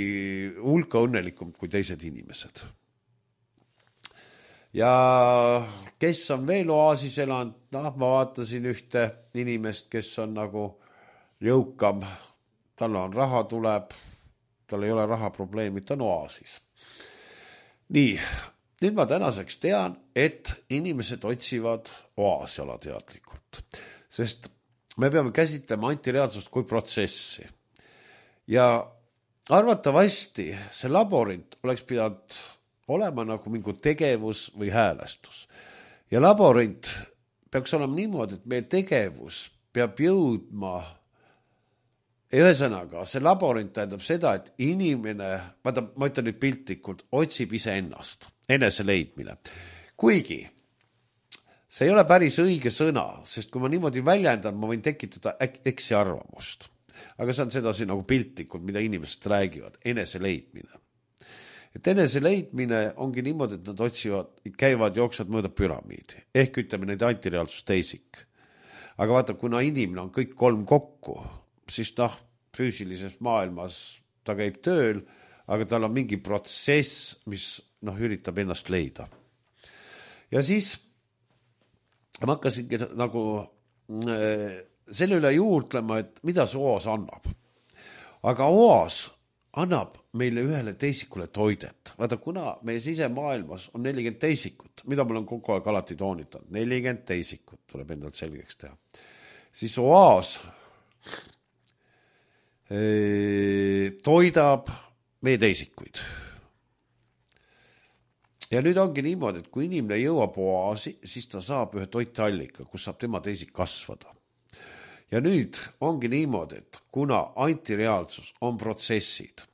hulka õnnelikum kui teised inimesed. Ja kes on veel oaasis elanud? Noh, ma vaatasin ühte inimest, kes on nagu jõukam. Tal on raha tuleb, tal ei ole raha probleemi, ta on oaasis. Nii, nüüd ma tänaseks tean, et inimesed otsivad oaasi alateadlikult, sest me peame käsitlema antireaalsust kui protsessi. Ja arvatavasti see laborint oleks pidanud olema nagu mingi tegevus või häälestus. Ja laborint peaks olema niimoodi, et meie tegevus peab jõudma. Ühesõnaga, see laborint tähendab seda, et inimene, vaata, ma ütlen nüüd piltlikult, otsib ise ennast, enese leidmine. Kuigi see ei ole päris õige sõna, sest kui ma niimoodi väljendan, ma võin tekitada eksi arvamust. Aga see on sedasi nagu piltlikult, mida inimesed räägivad, enese leidmine. Et enese leidmine ongi niimoodi, et nad otsivad, käivad, jooksvad mööda püramiidi. Ehk ütleme neid antireaalsus teisik. Aga vaata, kuna inimene on kõik kolm kokku, siis noh, füüsilises maailmas ta käib tööl, aga tal on mingi protsess, mis noh, üritab ennast leida. Ja siis ma hakkasingi nagu selle üle juurtlema, et mida see oas annab. Aga oas annab meile ühele teisikule toidet. Vaata, kuna meie sisemaailmas on nelikümmend teisikut, mida ma olen kogu aeg alati toonitanud, nelikümmend teisikut tuleb endalt selgeks teha, siis oas toidab meie teisikuid. Ja nüüd ongi niimoodi, et kui inimene jõuab oaasi, siis ta saab ühe toitallika, kus saab tema teisik kasvada. Ja nüüd ongi niimoodi, et kuna antireaalsus on protsessid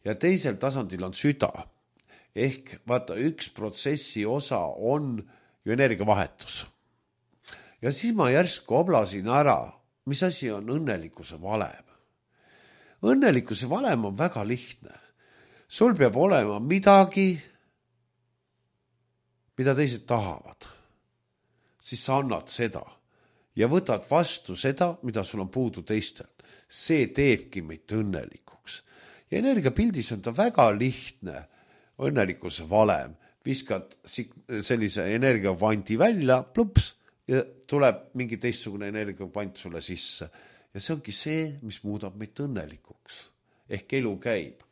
ja teisel tasandil on süda, ehk vaata, üks protsessi osa on ju energiavahetus. Ja siis ma järsku oblasin ära, mis asi on õnnelikkuse valem. Õnnelikkuse valem on väga lihtne. Sul peab olema midagi, mida teised tahavad. Siis sa annad seda ja võtad vastu seda, mida sul on puudu teistel. See teebki meid õnnelikuks. Ja energiapildis on ta väga lihtne õnnelikkuse valem. Viskad sellise energiavanti välja, plups, ja tuleb mingi teistsugune energiavant sulle sisse. Ja see ongi see, mis muudab meid õnnelikuks. Ehk elu käib.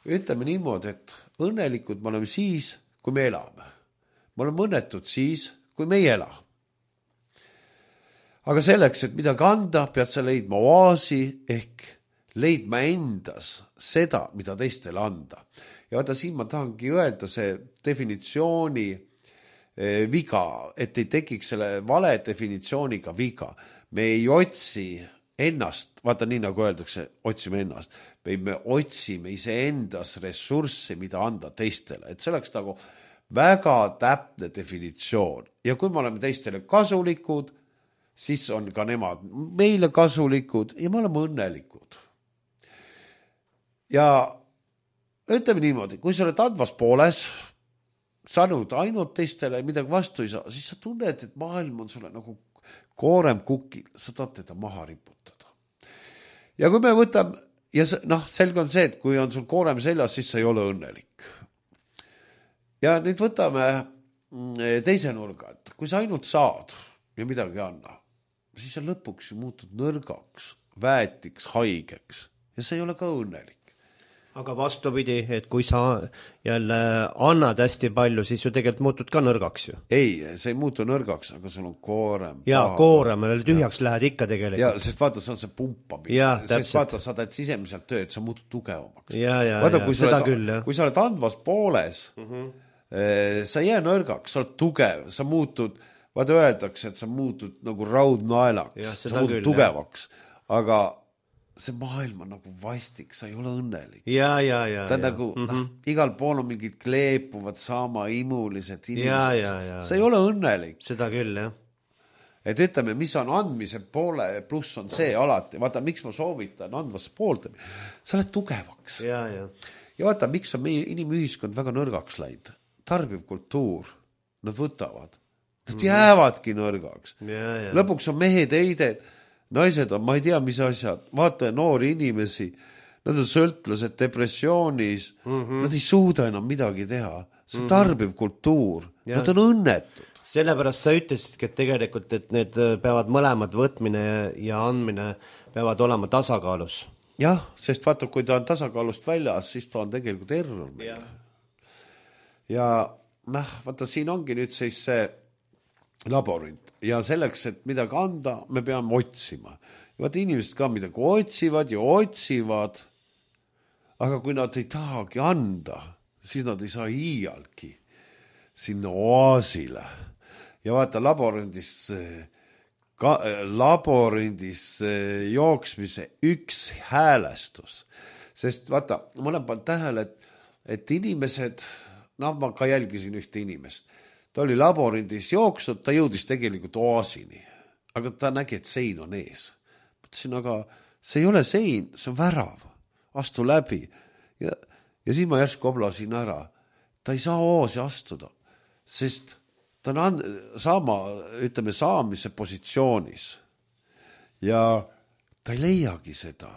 Ütleme niimoodi, et õnnelikud me oleme siis, kui me elame. Me oleme õnnetud siis, kui me ei ela. Aga selleks, et midagi anda, pead sa leidma oaasi ehk leidma endas seda, mida teistele anda. Ja vaata, siin ma tahangi öelda see definitsiooni viga, et ei tekiks selle vale definitsiooniga viga. Me ei otsi ennast, vaata nii nagu öeldakse, otsime ennast. Me otsime iseendas ressurssi, mida anda teistele. Et see oleks nagu väga täpne definitsioon. Ja kui me oleme teistele kasulikud, siis on ka nemad meile kasulikud ja me oleme õnnelikud. Ja ütleme niimoodi, kui sa oled andvas pooles, saanud ainult teistele midagi vastu ei saa, siis sa tunned, et maailm on sulle nagu koorem kukil, sa tahad teda maha riputada. Ja kui me võtame, ja noh, selge on see, et kui on sul koorem seljas, siis sa ei ole õnnelik. Ja nüüd võtame teise nurga, et kui sa ainult saad ja midagi anna, siis sa lõpuks muutud nõrgaks, väetiks, haigeks ja see ei ole ka õnnelik. Aga vastupidi, et kui sa jälle annad hästi palju, siis ju tegelikult muutud ka nõrgaks ju. Ei, see ei muutu nõrgaks, aga sul on koorem. Ja paha. Koorem, tühjaks ja. Lähed ikka tegelikult. Ja, sest vaata, see on see pumpamine. Ja, sest vaata, sa teed sisemiselt tööd, sa muutud tugevamaks. Ja, ja, vaata, ja, kui seda oled, küll, jah. Kui sa oled andvas pooles, mm-hmm. sa ei jää nõrgaks, sa oled tugev, sa muutud, vaata öeldakse, et sa muutud nagu raudnaelaks, ja, sa muutud küll, tugevaks, jah. Aga see maailm on nagu vastik, sa ei ole õnnelik. Ja, ja, ja. Ta on ja. nagu, mm-hmm. noh, igal pool on mingid kleepuvad sama imulised inimesed. Ja, ja, ja, sa ei ole õnnelik. Seda küll, jah. Et ütleme, mis on andmise poole pluss on see alati. Vaata, miks ma soovitan andvast poolt. Sa oled tugevaks. Ja, ja. Ja vaata, miks on meie inimühiskond väga nõrgaks läinud. Tarbiv kultuur. Nad võtavad. Nad mm-hmm. jäävadki nõrgaks. Ja, ja. Lõpuks on mehed eided. Naised on, ma ei tea, mis asjad, vaata noori inimesi, nad on sõltlased depressioonis, mm-hmm. nad ei suuda enam midagi teha. See on tarbiv kultuur, ja, nad on õnnetud. Sellepärast sa ütlesidki, et tegelikult, et need peavad mõlemad võtmine ja andmine peavad olema tasakaalus. Jah, sest vaata, kui ta on tasakaalust väljas, siis ta on tegelikult error. Ja, ja noh, vaata, siin ongi nüüd siis see laborint. Ja selleks, et midagi anda, me peame otsima. Ja vaata, inimesed ka midagi otsivad ja otsivad, aga kui nad ei tahagi anda, siis nad ei saa iialgi sinna oaasile. Ja vaata, laborindis, ka, laborindis jooksmise üks häälestus. Sest vaata, ma olen pannud tähele, et, et inimesed, noh, ma ka jälgisin ühte inimest, ta oli laborindis jooksnud, ta jõudis tegelikult oasini, aga ta nägi, et sein on ees. Mõtlesin, aga see ei ole sein, see on värav, astu läbi. Ja, ja siis ma järsku oblasin ära. Ta ei saa oasi astuda, sest ta on and, sama, ütleme, saamise positsioonis. Ja ta ei leiagi seda.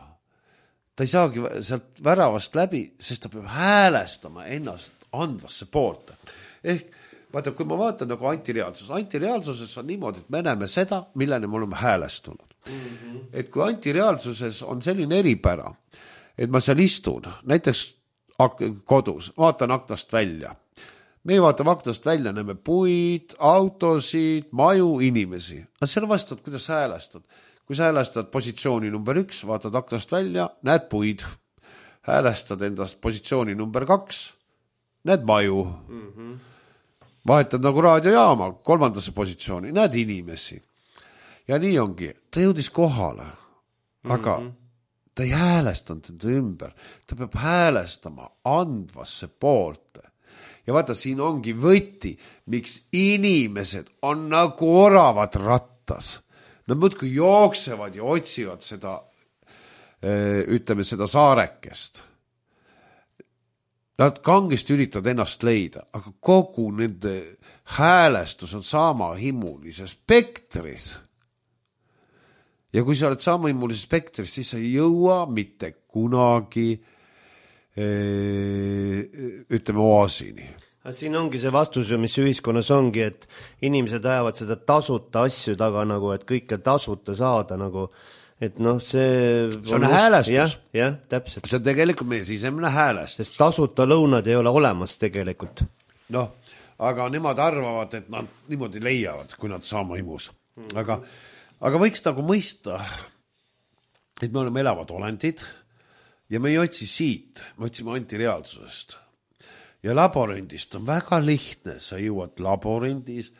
ta ei saagi sealt väravast läbi, sest ta peab häälestama ennast andvasse poolt. Ehk vaata, kui ma vaatan nagu antireaalsus, antireaalsuses on niimoodi, et me näeme seda, milleni me oleme häälestunud. Mm-hmm. Et kui antireaalsuses on selline eripära, et ma seal istun, näiteks kodus, vaatan aknast välja. Me ei vaata aknast välja, näeme puid, autosid, maju, inimesi. Aga seal vastad, kuidas sa häälestad. Kui sa häälestad positsiooni number üks, vaatad aknast välja, näed puid. Häälestad endast positsiooni number kaks, näed maju. Mm-hmm. Vahetad nagu raadiojaama kolmandasse positsiooni, näed inimesi. Ja nii ongi. Ta jõudis kohale, aga mm-hmm. ta ei häälestanud enda ümber. Ta peab häälestama andvasse poolte. Ja vaata, siin ongi võti, miks inimesed on nagu oravad rattas. Nad muudkui jooksevad ja otsivad seda, ütleme, seda saarekest. Nad kangesti üritavad ennast leida, aga kogu nende häälestus on sama himulises spektris. Ja kui sa oled sama himulises spektris, siis sa ei jõua mitte kunagi ütleme oasini. Siin ongi see vastus, mis ühiskonnas ongi, et inimesed ajavad seda tasuta asju taga nagu, et kõike tasuta saada nagu, et noh, see... See on häälestus. Jah, jah, täpselt. See on tegelikult meie sisemine häälestus. Sest tasuta lõunad ei ole olemas tegelikult. Noh, aga nemad arvavad, et nad niimoodi leiavad, kui nad saama himus. Aga, aga võiks nagu mõista, et me oleme elavad olendid, ja me ei otsi siit, me otsime antireaalsusest. Ja laborindist on väga lihtne, sa jõuad laborindis,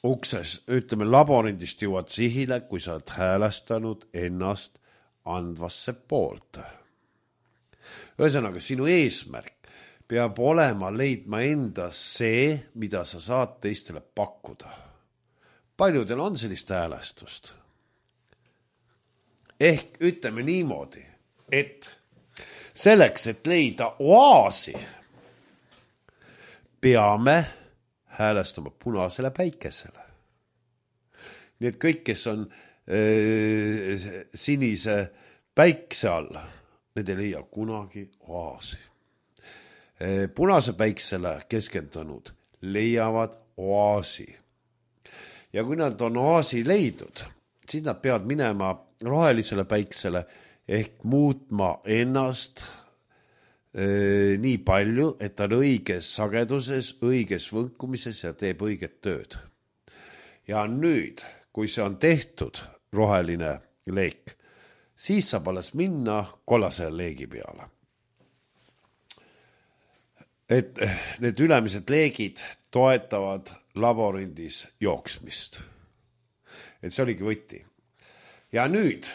ukses, ütleme laborindist jõuad sihile, kui sa oled häälestanud ennast andvasse poolt. Ühesõnaga, sinu eesmärk peab olema leidma endas see, mida sa saad teistele pakkuda. Paljudel on sellist häälestust. Ehk ütleme niimoodi, et selleks, et leida oaasi, peame häälestama punasele päikesele. Nii et kõik, kes on äh, sinise päikse all, need ei leia kunagi oaasi. Äh, punase päiksele keskendunud leiavad oaasi. Ja kui nad on oaasi leidnud, siis nad peavad minema rohelisele päiksele ehk muutma ennast äh, nii palju, et ta on õiges sageduses, õiges võnkumises ja teeb õiget tööd. Ja nüüd, kui see on tehtud, roheline leek, siis saab alles minna kollasele leegi peale. Et need ülemised leegid toetavad laborindis jooksmist. Et see oligi võti. Ja nüüd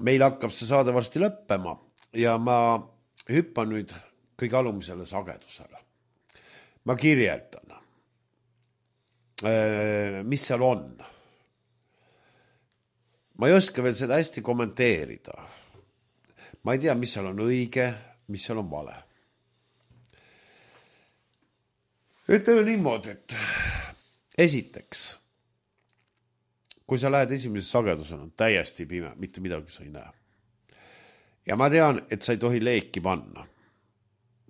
meil hakkab see saade varsti lõppema ja ma hüppan nüüd kõige alumisele sagedusele. Ma kirjeldan, mis seal on. Ma ei oska veel seda hästi kommenteerida. Ma ei tea, mis seal on õige, mis seal on vale. Ütleme niimoodi, et esiteks, kui sa lähed esimese sagedusena, on täiesti pime, mitte midagi sa ei näe. Ja ma tean, et sa ei tohi leeki panna.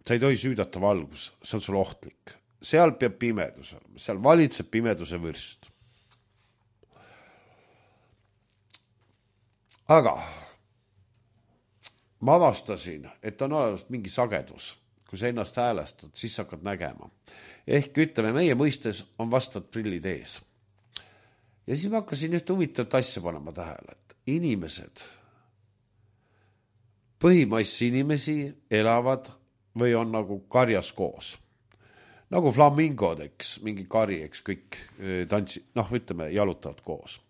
Sa ei tohi süüdata valgus, see on sul ohtlik. Seal peab pimedus olema, seal valitseb pimeduse vürst. Aga ma avastasin, et on olemas mingi sagedus. Kui sa ennast häälestad, siis sa hakkad nägema. Ehk ütleme, meie mõistes on vastavad prillid ees. Ja siis ma hakkasin ühte huvitavat asja panema tähele, et inimesed, põhimassi inimesi elavad või on nagu karjas koos. Nagu flamingod, eks, mingi kari, eks kõik tantsi, noh, ütleme, jalutavad koos.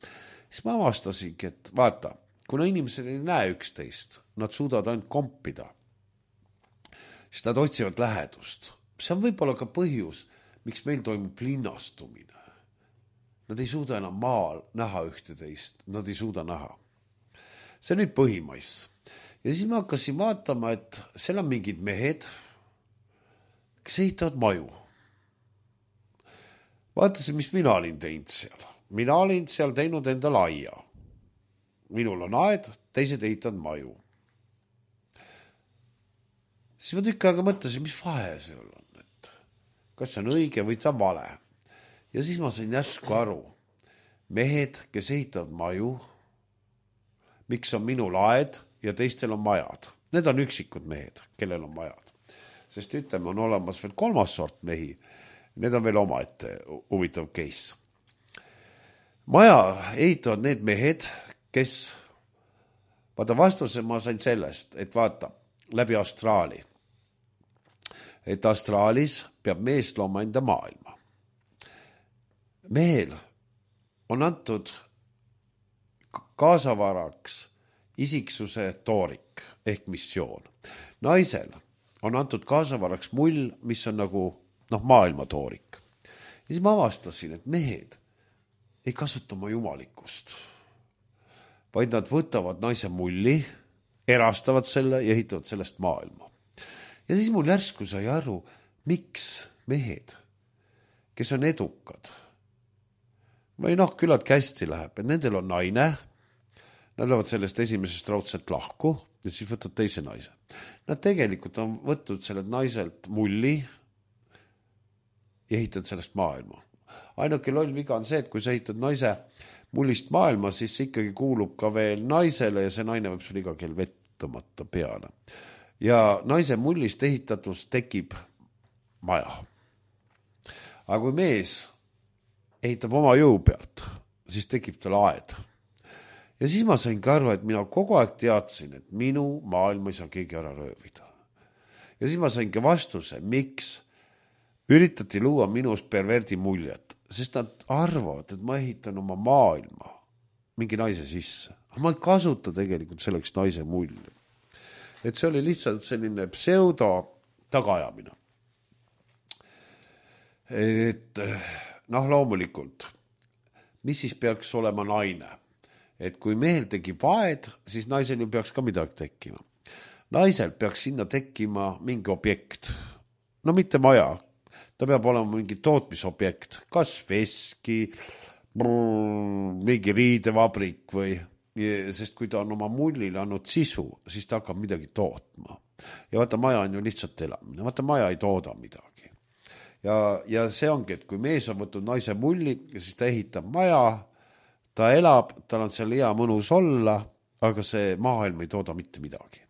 Siis ma avastasingi, et vaata, kuna inimesed ei näe üksteist, nad suudavad ainult kompida, siis nad otsivad lähedust. See on võib-olla ka põhjus, miks meil toimub linnastumine. Nad ei suuda enam maal näha ühte teist, nad ei suuda näha. See on nüüd põhimais. Ja siis ma hakkasin vaatama, et seal on mingid mehed, kes ehitavad maju. Vaatasin, mis mina olin teinud seal. Mina olin seal teinud endale aia. minul on aed, teised ehitavad maju. Siis ma tükk aega mõtlesin, mis vahe see on, et kas see on õige või ta vale. Ja siis ma sain järsku aru, mehed, kes ehitavad maju, miks on minul aed ja teistel on majad. Need on üksikud mehed, kellel on majad. Sest ütleme, on olemas veel kolmas sort mehi. Need on veel omaette huvitav case. Maja ehitavad need mehed, kes, vaata vastuse ma sain sellest, et vaata, läbi astraali. Et astraalis peab mees looma enda maailma. Mehel on antud kaasavaraks isiksuse toorik ehk missioon. Naisel on antud kaasavaraks mull, mis on nagu noh, maailma toorik. Ja siis ma avastasin, et mehed ei kasuta oma jumalikkust, vaid nad võtavad naise mulli, erastavad selle ja ehitavad sellest maailma. Ja siis mul järsku sai aru, miks mehed, kes on edukad, või noh, küllalt hästi läheb, et nendel on naine, nad lähevad sellest esimesest raudselt lahku ja siis võtavad teise naise. Nad tegelikult on võtnud sellelt naiselt mulli ja ehitavad sellest maailma. Ainuke loll viga on see, et kui sa ehitad naise mullist maailma, siis see ikkagi kuulub ka veel naisele ja see naine võib sul iga kell vett tõmmata peale. Ja naise mullist ehitatus tekib maja. Aga kui mees ehitab oma jõu pealt, siis tekib tal aed. Ja siis ma sain ka aru, et mina kogu aeg teadsin, et minu maailma ei saa keegi ära röövida. Ja siis ma sain ka vastuse, miks üritati luua minust perverdi muljet, sest nad arvavad, et ma ehitan oma maailma mingi naise sisse. Aga ma ei kasuta tegelikult selleks naise mulli. Et see oli lihtsalt selline pseudo tagaajamine. Et noh, loomulikult, mis siis peaks olema naine? Et kui mehel tekib aed, siis naisel ju peaks ka midagi tekkima. Naisel peaks sinna tekkima mingi objekt. No mitte maja. Ta peab olema mingi tootmisobjekt, kas veski, mingi riidevabrik või, sest kui ta on oma mullile andnud sisu, siis ta hakkab midagi tootma. Ja vaata, maja on ju lihtsalt elamine, vaata, maja ei tooda midagi. Ja, ja see ongi, et kui mees on võtnud naise mulli, siis ta ehitab maja, ta elab, tal on seal hea mõnus olla, aga see maailm ei tooda mitte midagi.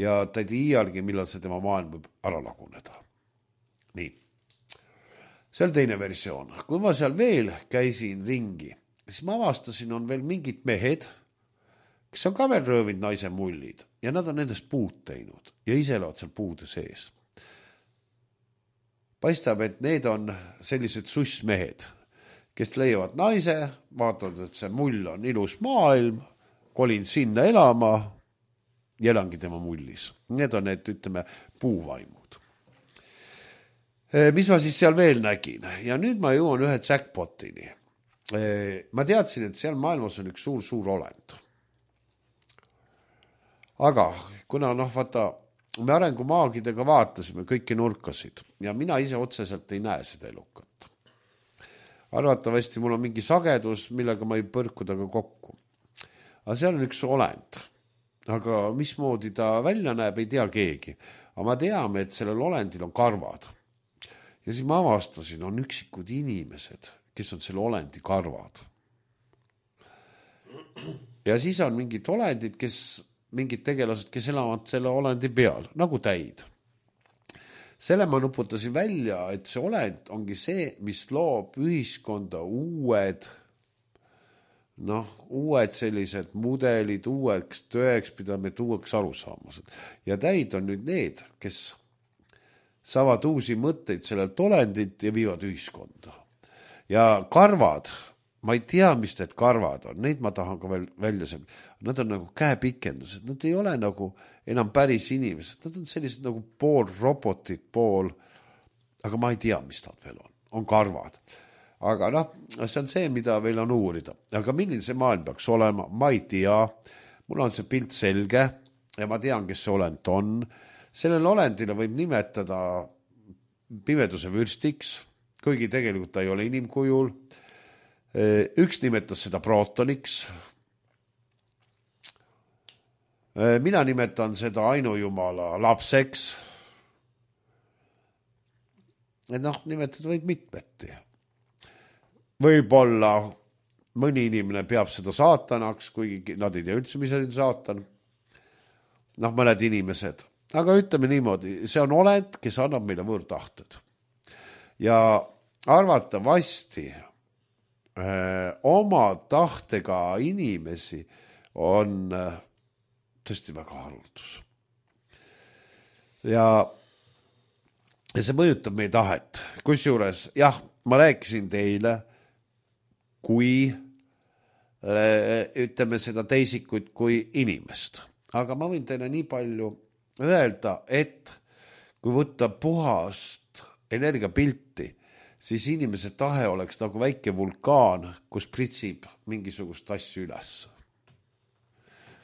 Ja ta ei tea iialgi, millal see tema maailm võib ära laguneda. Nii. See on teine versioon. Kui ma seal veel käisin ringi, siis ma avastasin, on veel mingid mehed, kes on ka veel röövinud naise mullid ja nad on nendest puud teinud ja ise elavad seal puude sees. Paistab, et need on sellised sussmehed, kes leiavad naise, vaatavad, et see mull on ilus maailm, kolin sinna elama ja elangi tema mullis. Need on need, ütleme, puuvaimud. Mis ma siis seal veel nägin? Ja nüüd ma jõuan ühe jackpotini. Ma teadsin, et seal maailmas on üks suur-suur olend. Aga kuna noh, vaata, me arengumaagidega vaatasime kõiki nurkasid ja mina ise otseselt ei näe seda elukat. Arvatavasti mul on mingi sagedus, millega ma ei põrkuda ka kokku. Aga seal on üks olend. Aga mismoodi ta välja näeb, ei tea keegi. Aga ma teame, et sellel olendil on karvad. Ja siis ma avastasin, on üksikud inimesed, kes on selle olendi karvad. Ja siis on mingid olendid, kes, mingid tegelased, kes elavad selle olendi peal, nagu täid. Selle ma nuputasin välja, et see olend ongi see, mis loob ühiskonda uued, noh, uued sellised mudelid, uueks tööks, pidame uueks arusaamused. Ja täid on nüüd need, kes saavad uusi mõtteid sellelt olendit ja viivad ühiskonda. Ja karvad, ma ei tea, mis need karvad on, neid ma tahan ka veel välja saada. Nad on nagu käepikendused, nad ei ole nagu enam päris inimesed, nad on sellised nagu pool robotid, pool, aga ma ei tea, mis nad veel on, on karvad. Aga noh, see on see, mida veel on uurida. Aga milline see maailm peaks olema, ma ei tea, mul on see pilt selge ja ma tean, kes see olend on. Sellel olendile võib nimetada pimeduse vürstiks, kuigi tegelikult ta ei ole inim kujul. Üks nimetas seda protoniks. mina nimetan seda ainujumala lapseks. Et noh, nimetada võid mitmeti. Võib-olla mõni inimene peab seda saatanaks, kuigi nad ei tea üldse, mis on saatan. Noh, mõned inimesed. Aga ütleme niimoodi, see on olend, kes annab meile võõrtahted. Ja arvatavasti öö, oma tahtega inimesi on öö, tõesti väga haruldus. Ja, ja see mõjutab meie tahet. Kusjuures, jah, ma rääkisin teile, kui ütleme seda teisikuid kui inimest. Aga ma võin teile nii palju öelda, et kui võtta puhast energiapilti, siis inimese tahe oleks nagu väike vulkaan, kus pritsib mingisugust asju üles.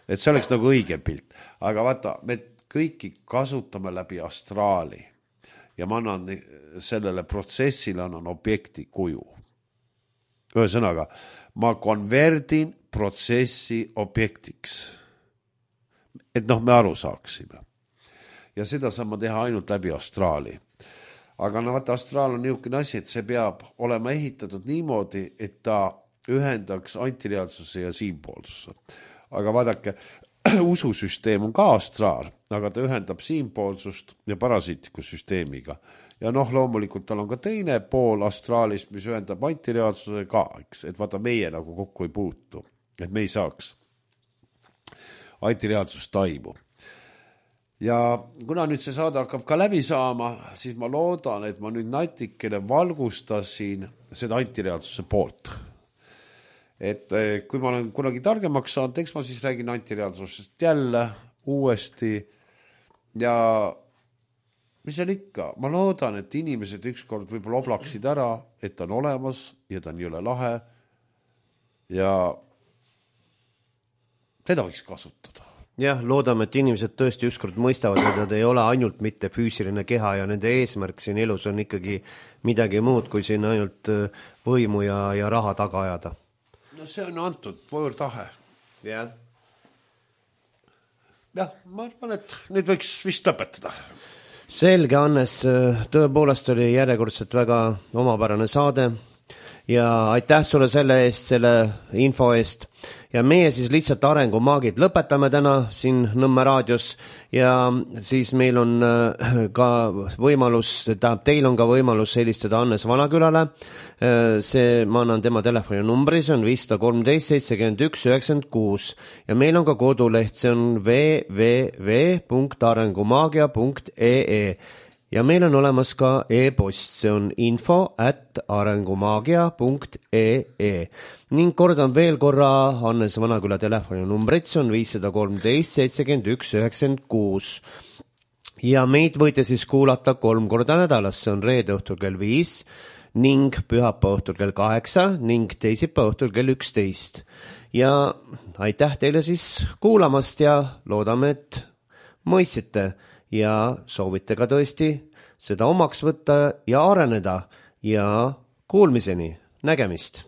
Et see oleks nagu õige pilt. Aga vaata, me kõiki kasutame läbi astraali ja ma annan sellele protsessile annan objekti kuju. Ühesõnaga, ma konverdin protsessi objektiks. Et noh, me aru saaksime. Ja seda saan ma teha ainult läbi astraali. Aga no vaata, astraal on niisugune asi, et see peab olema ehitatud niimoodi, et ta ühendaks antireaalsuse ja siinpoolsuse. Aga vaadake, ususüsteem on ka astraal, aga ta ühendab siinpoolsust ja parasiitiku süsteemiga. Ja noh, loomulikult tal on ka teine pool astraalist, mis ühendab antireaalsuse ka, eks? Et vaata, meie nagu kokku ei puutu, et me ei saaks antireaalsust taimu. Ja kuna nüüd see saade hakkab ka läbi saama, siis ma loodan, et ma nüüd natikene valgustasin seda antireaalsuse poolt. Et kui ma olen kunagi targemaks saanud, eks ma siis räägin antireaalsusest jälle uuesti ja mis on ikka, ma loodan, et inimesed ükskord võib-olla oblaksid ära, et ta on olemas ja ta on jõle lahe ja teda võiks kasutada. Jah, loodame, et inimesed tõesti ükskord mõistavad, et nad ei ole ainult mitte füüsiline keha ja nende eesmärk siin elus on ikkagi midagi muud, kui siin ainult võimu ja, ja raha taga ajada. No see on antud võõrtahe. Jah. Jah, ma arvan, et nüüd võiks vist lõpetada. Selge, Hannes, tõepoolest oli järjekordselt väga omapärane saade ja aitäh sulle selle eest, selle info eest ja meie siis lihtsalt arengumaagid lõpetame täna siin Nõmme raadios ja siis meil on ka võimalus, tähendab, teil on ka võimalus helistada Hannes Vanakülale. See, ma annan tema telefoni numbri, see on viis kolmteist seitsekümmend üks üheksakümmend kuus ja meil on ka koduleht, see on w w w punkt arengumagia punkt e e ja meil on olemas ka e-post, see on info at arengumagia punkt e e ning kordan veel korra Hannes Vanaküla telefoni numbrit, see on viis kolmteist seitsekümmend üks üheksakümmend kuus ja meid võite siis kuulata kolm korda nädalas, see on reede õhtul kell viis ning pühapäeva õhtul kell kaheksa ning teisipäeva õhtul kell üksteist ja aitäh teile siis kuulamast ja loodame, et mõistsite ja soovite ka tõesti seda omaks võtta ja areneda ja kuulmiseni, nägemist.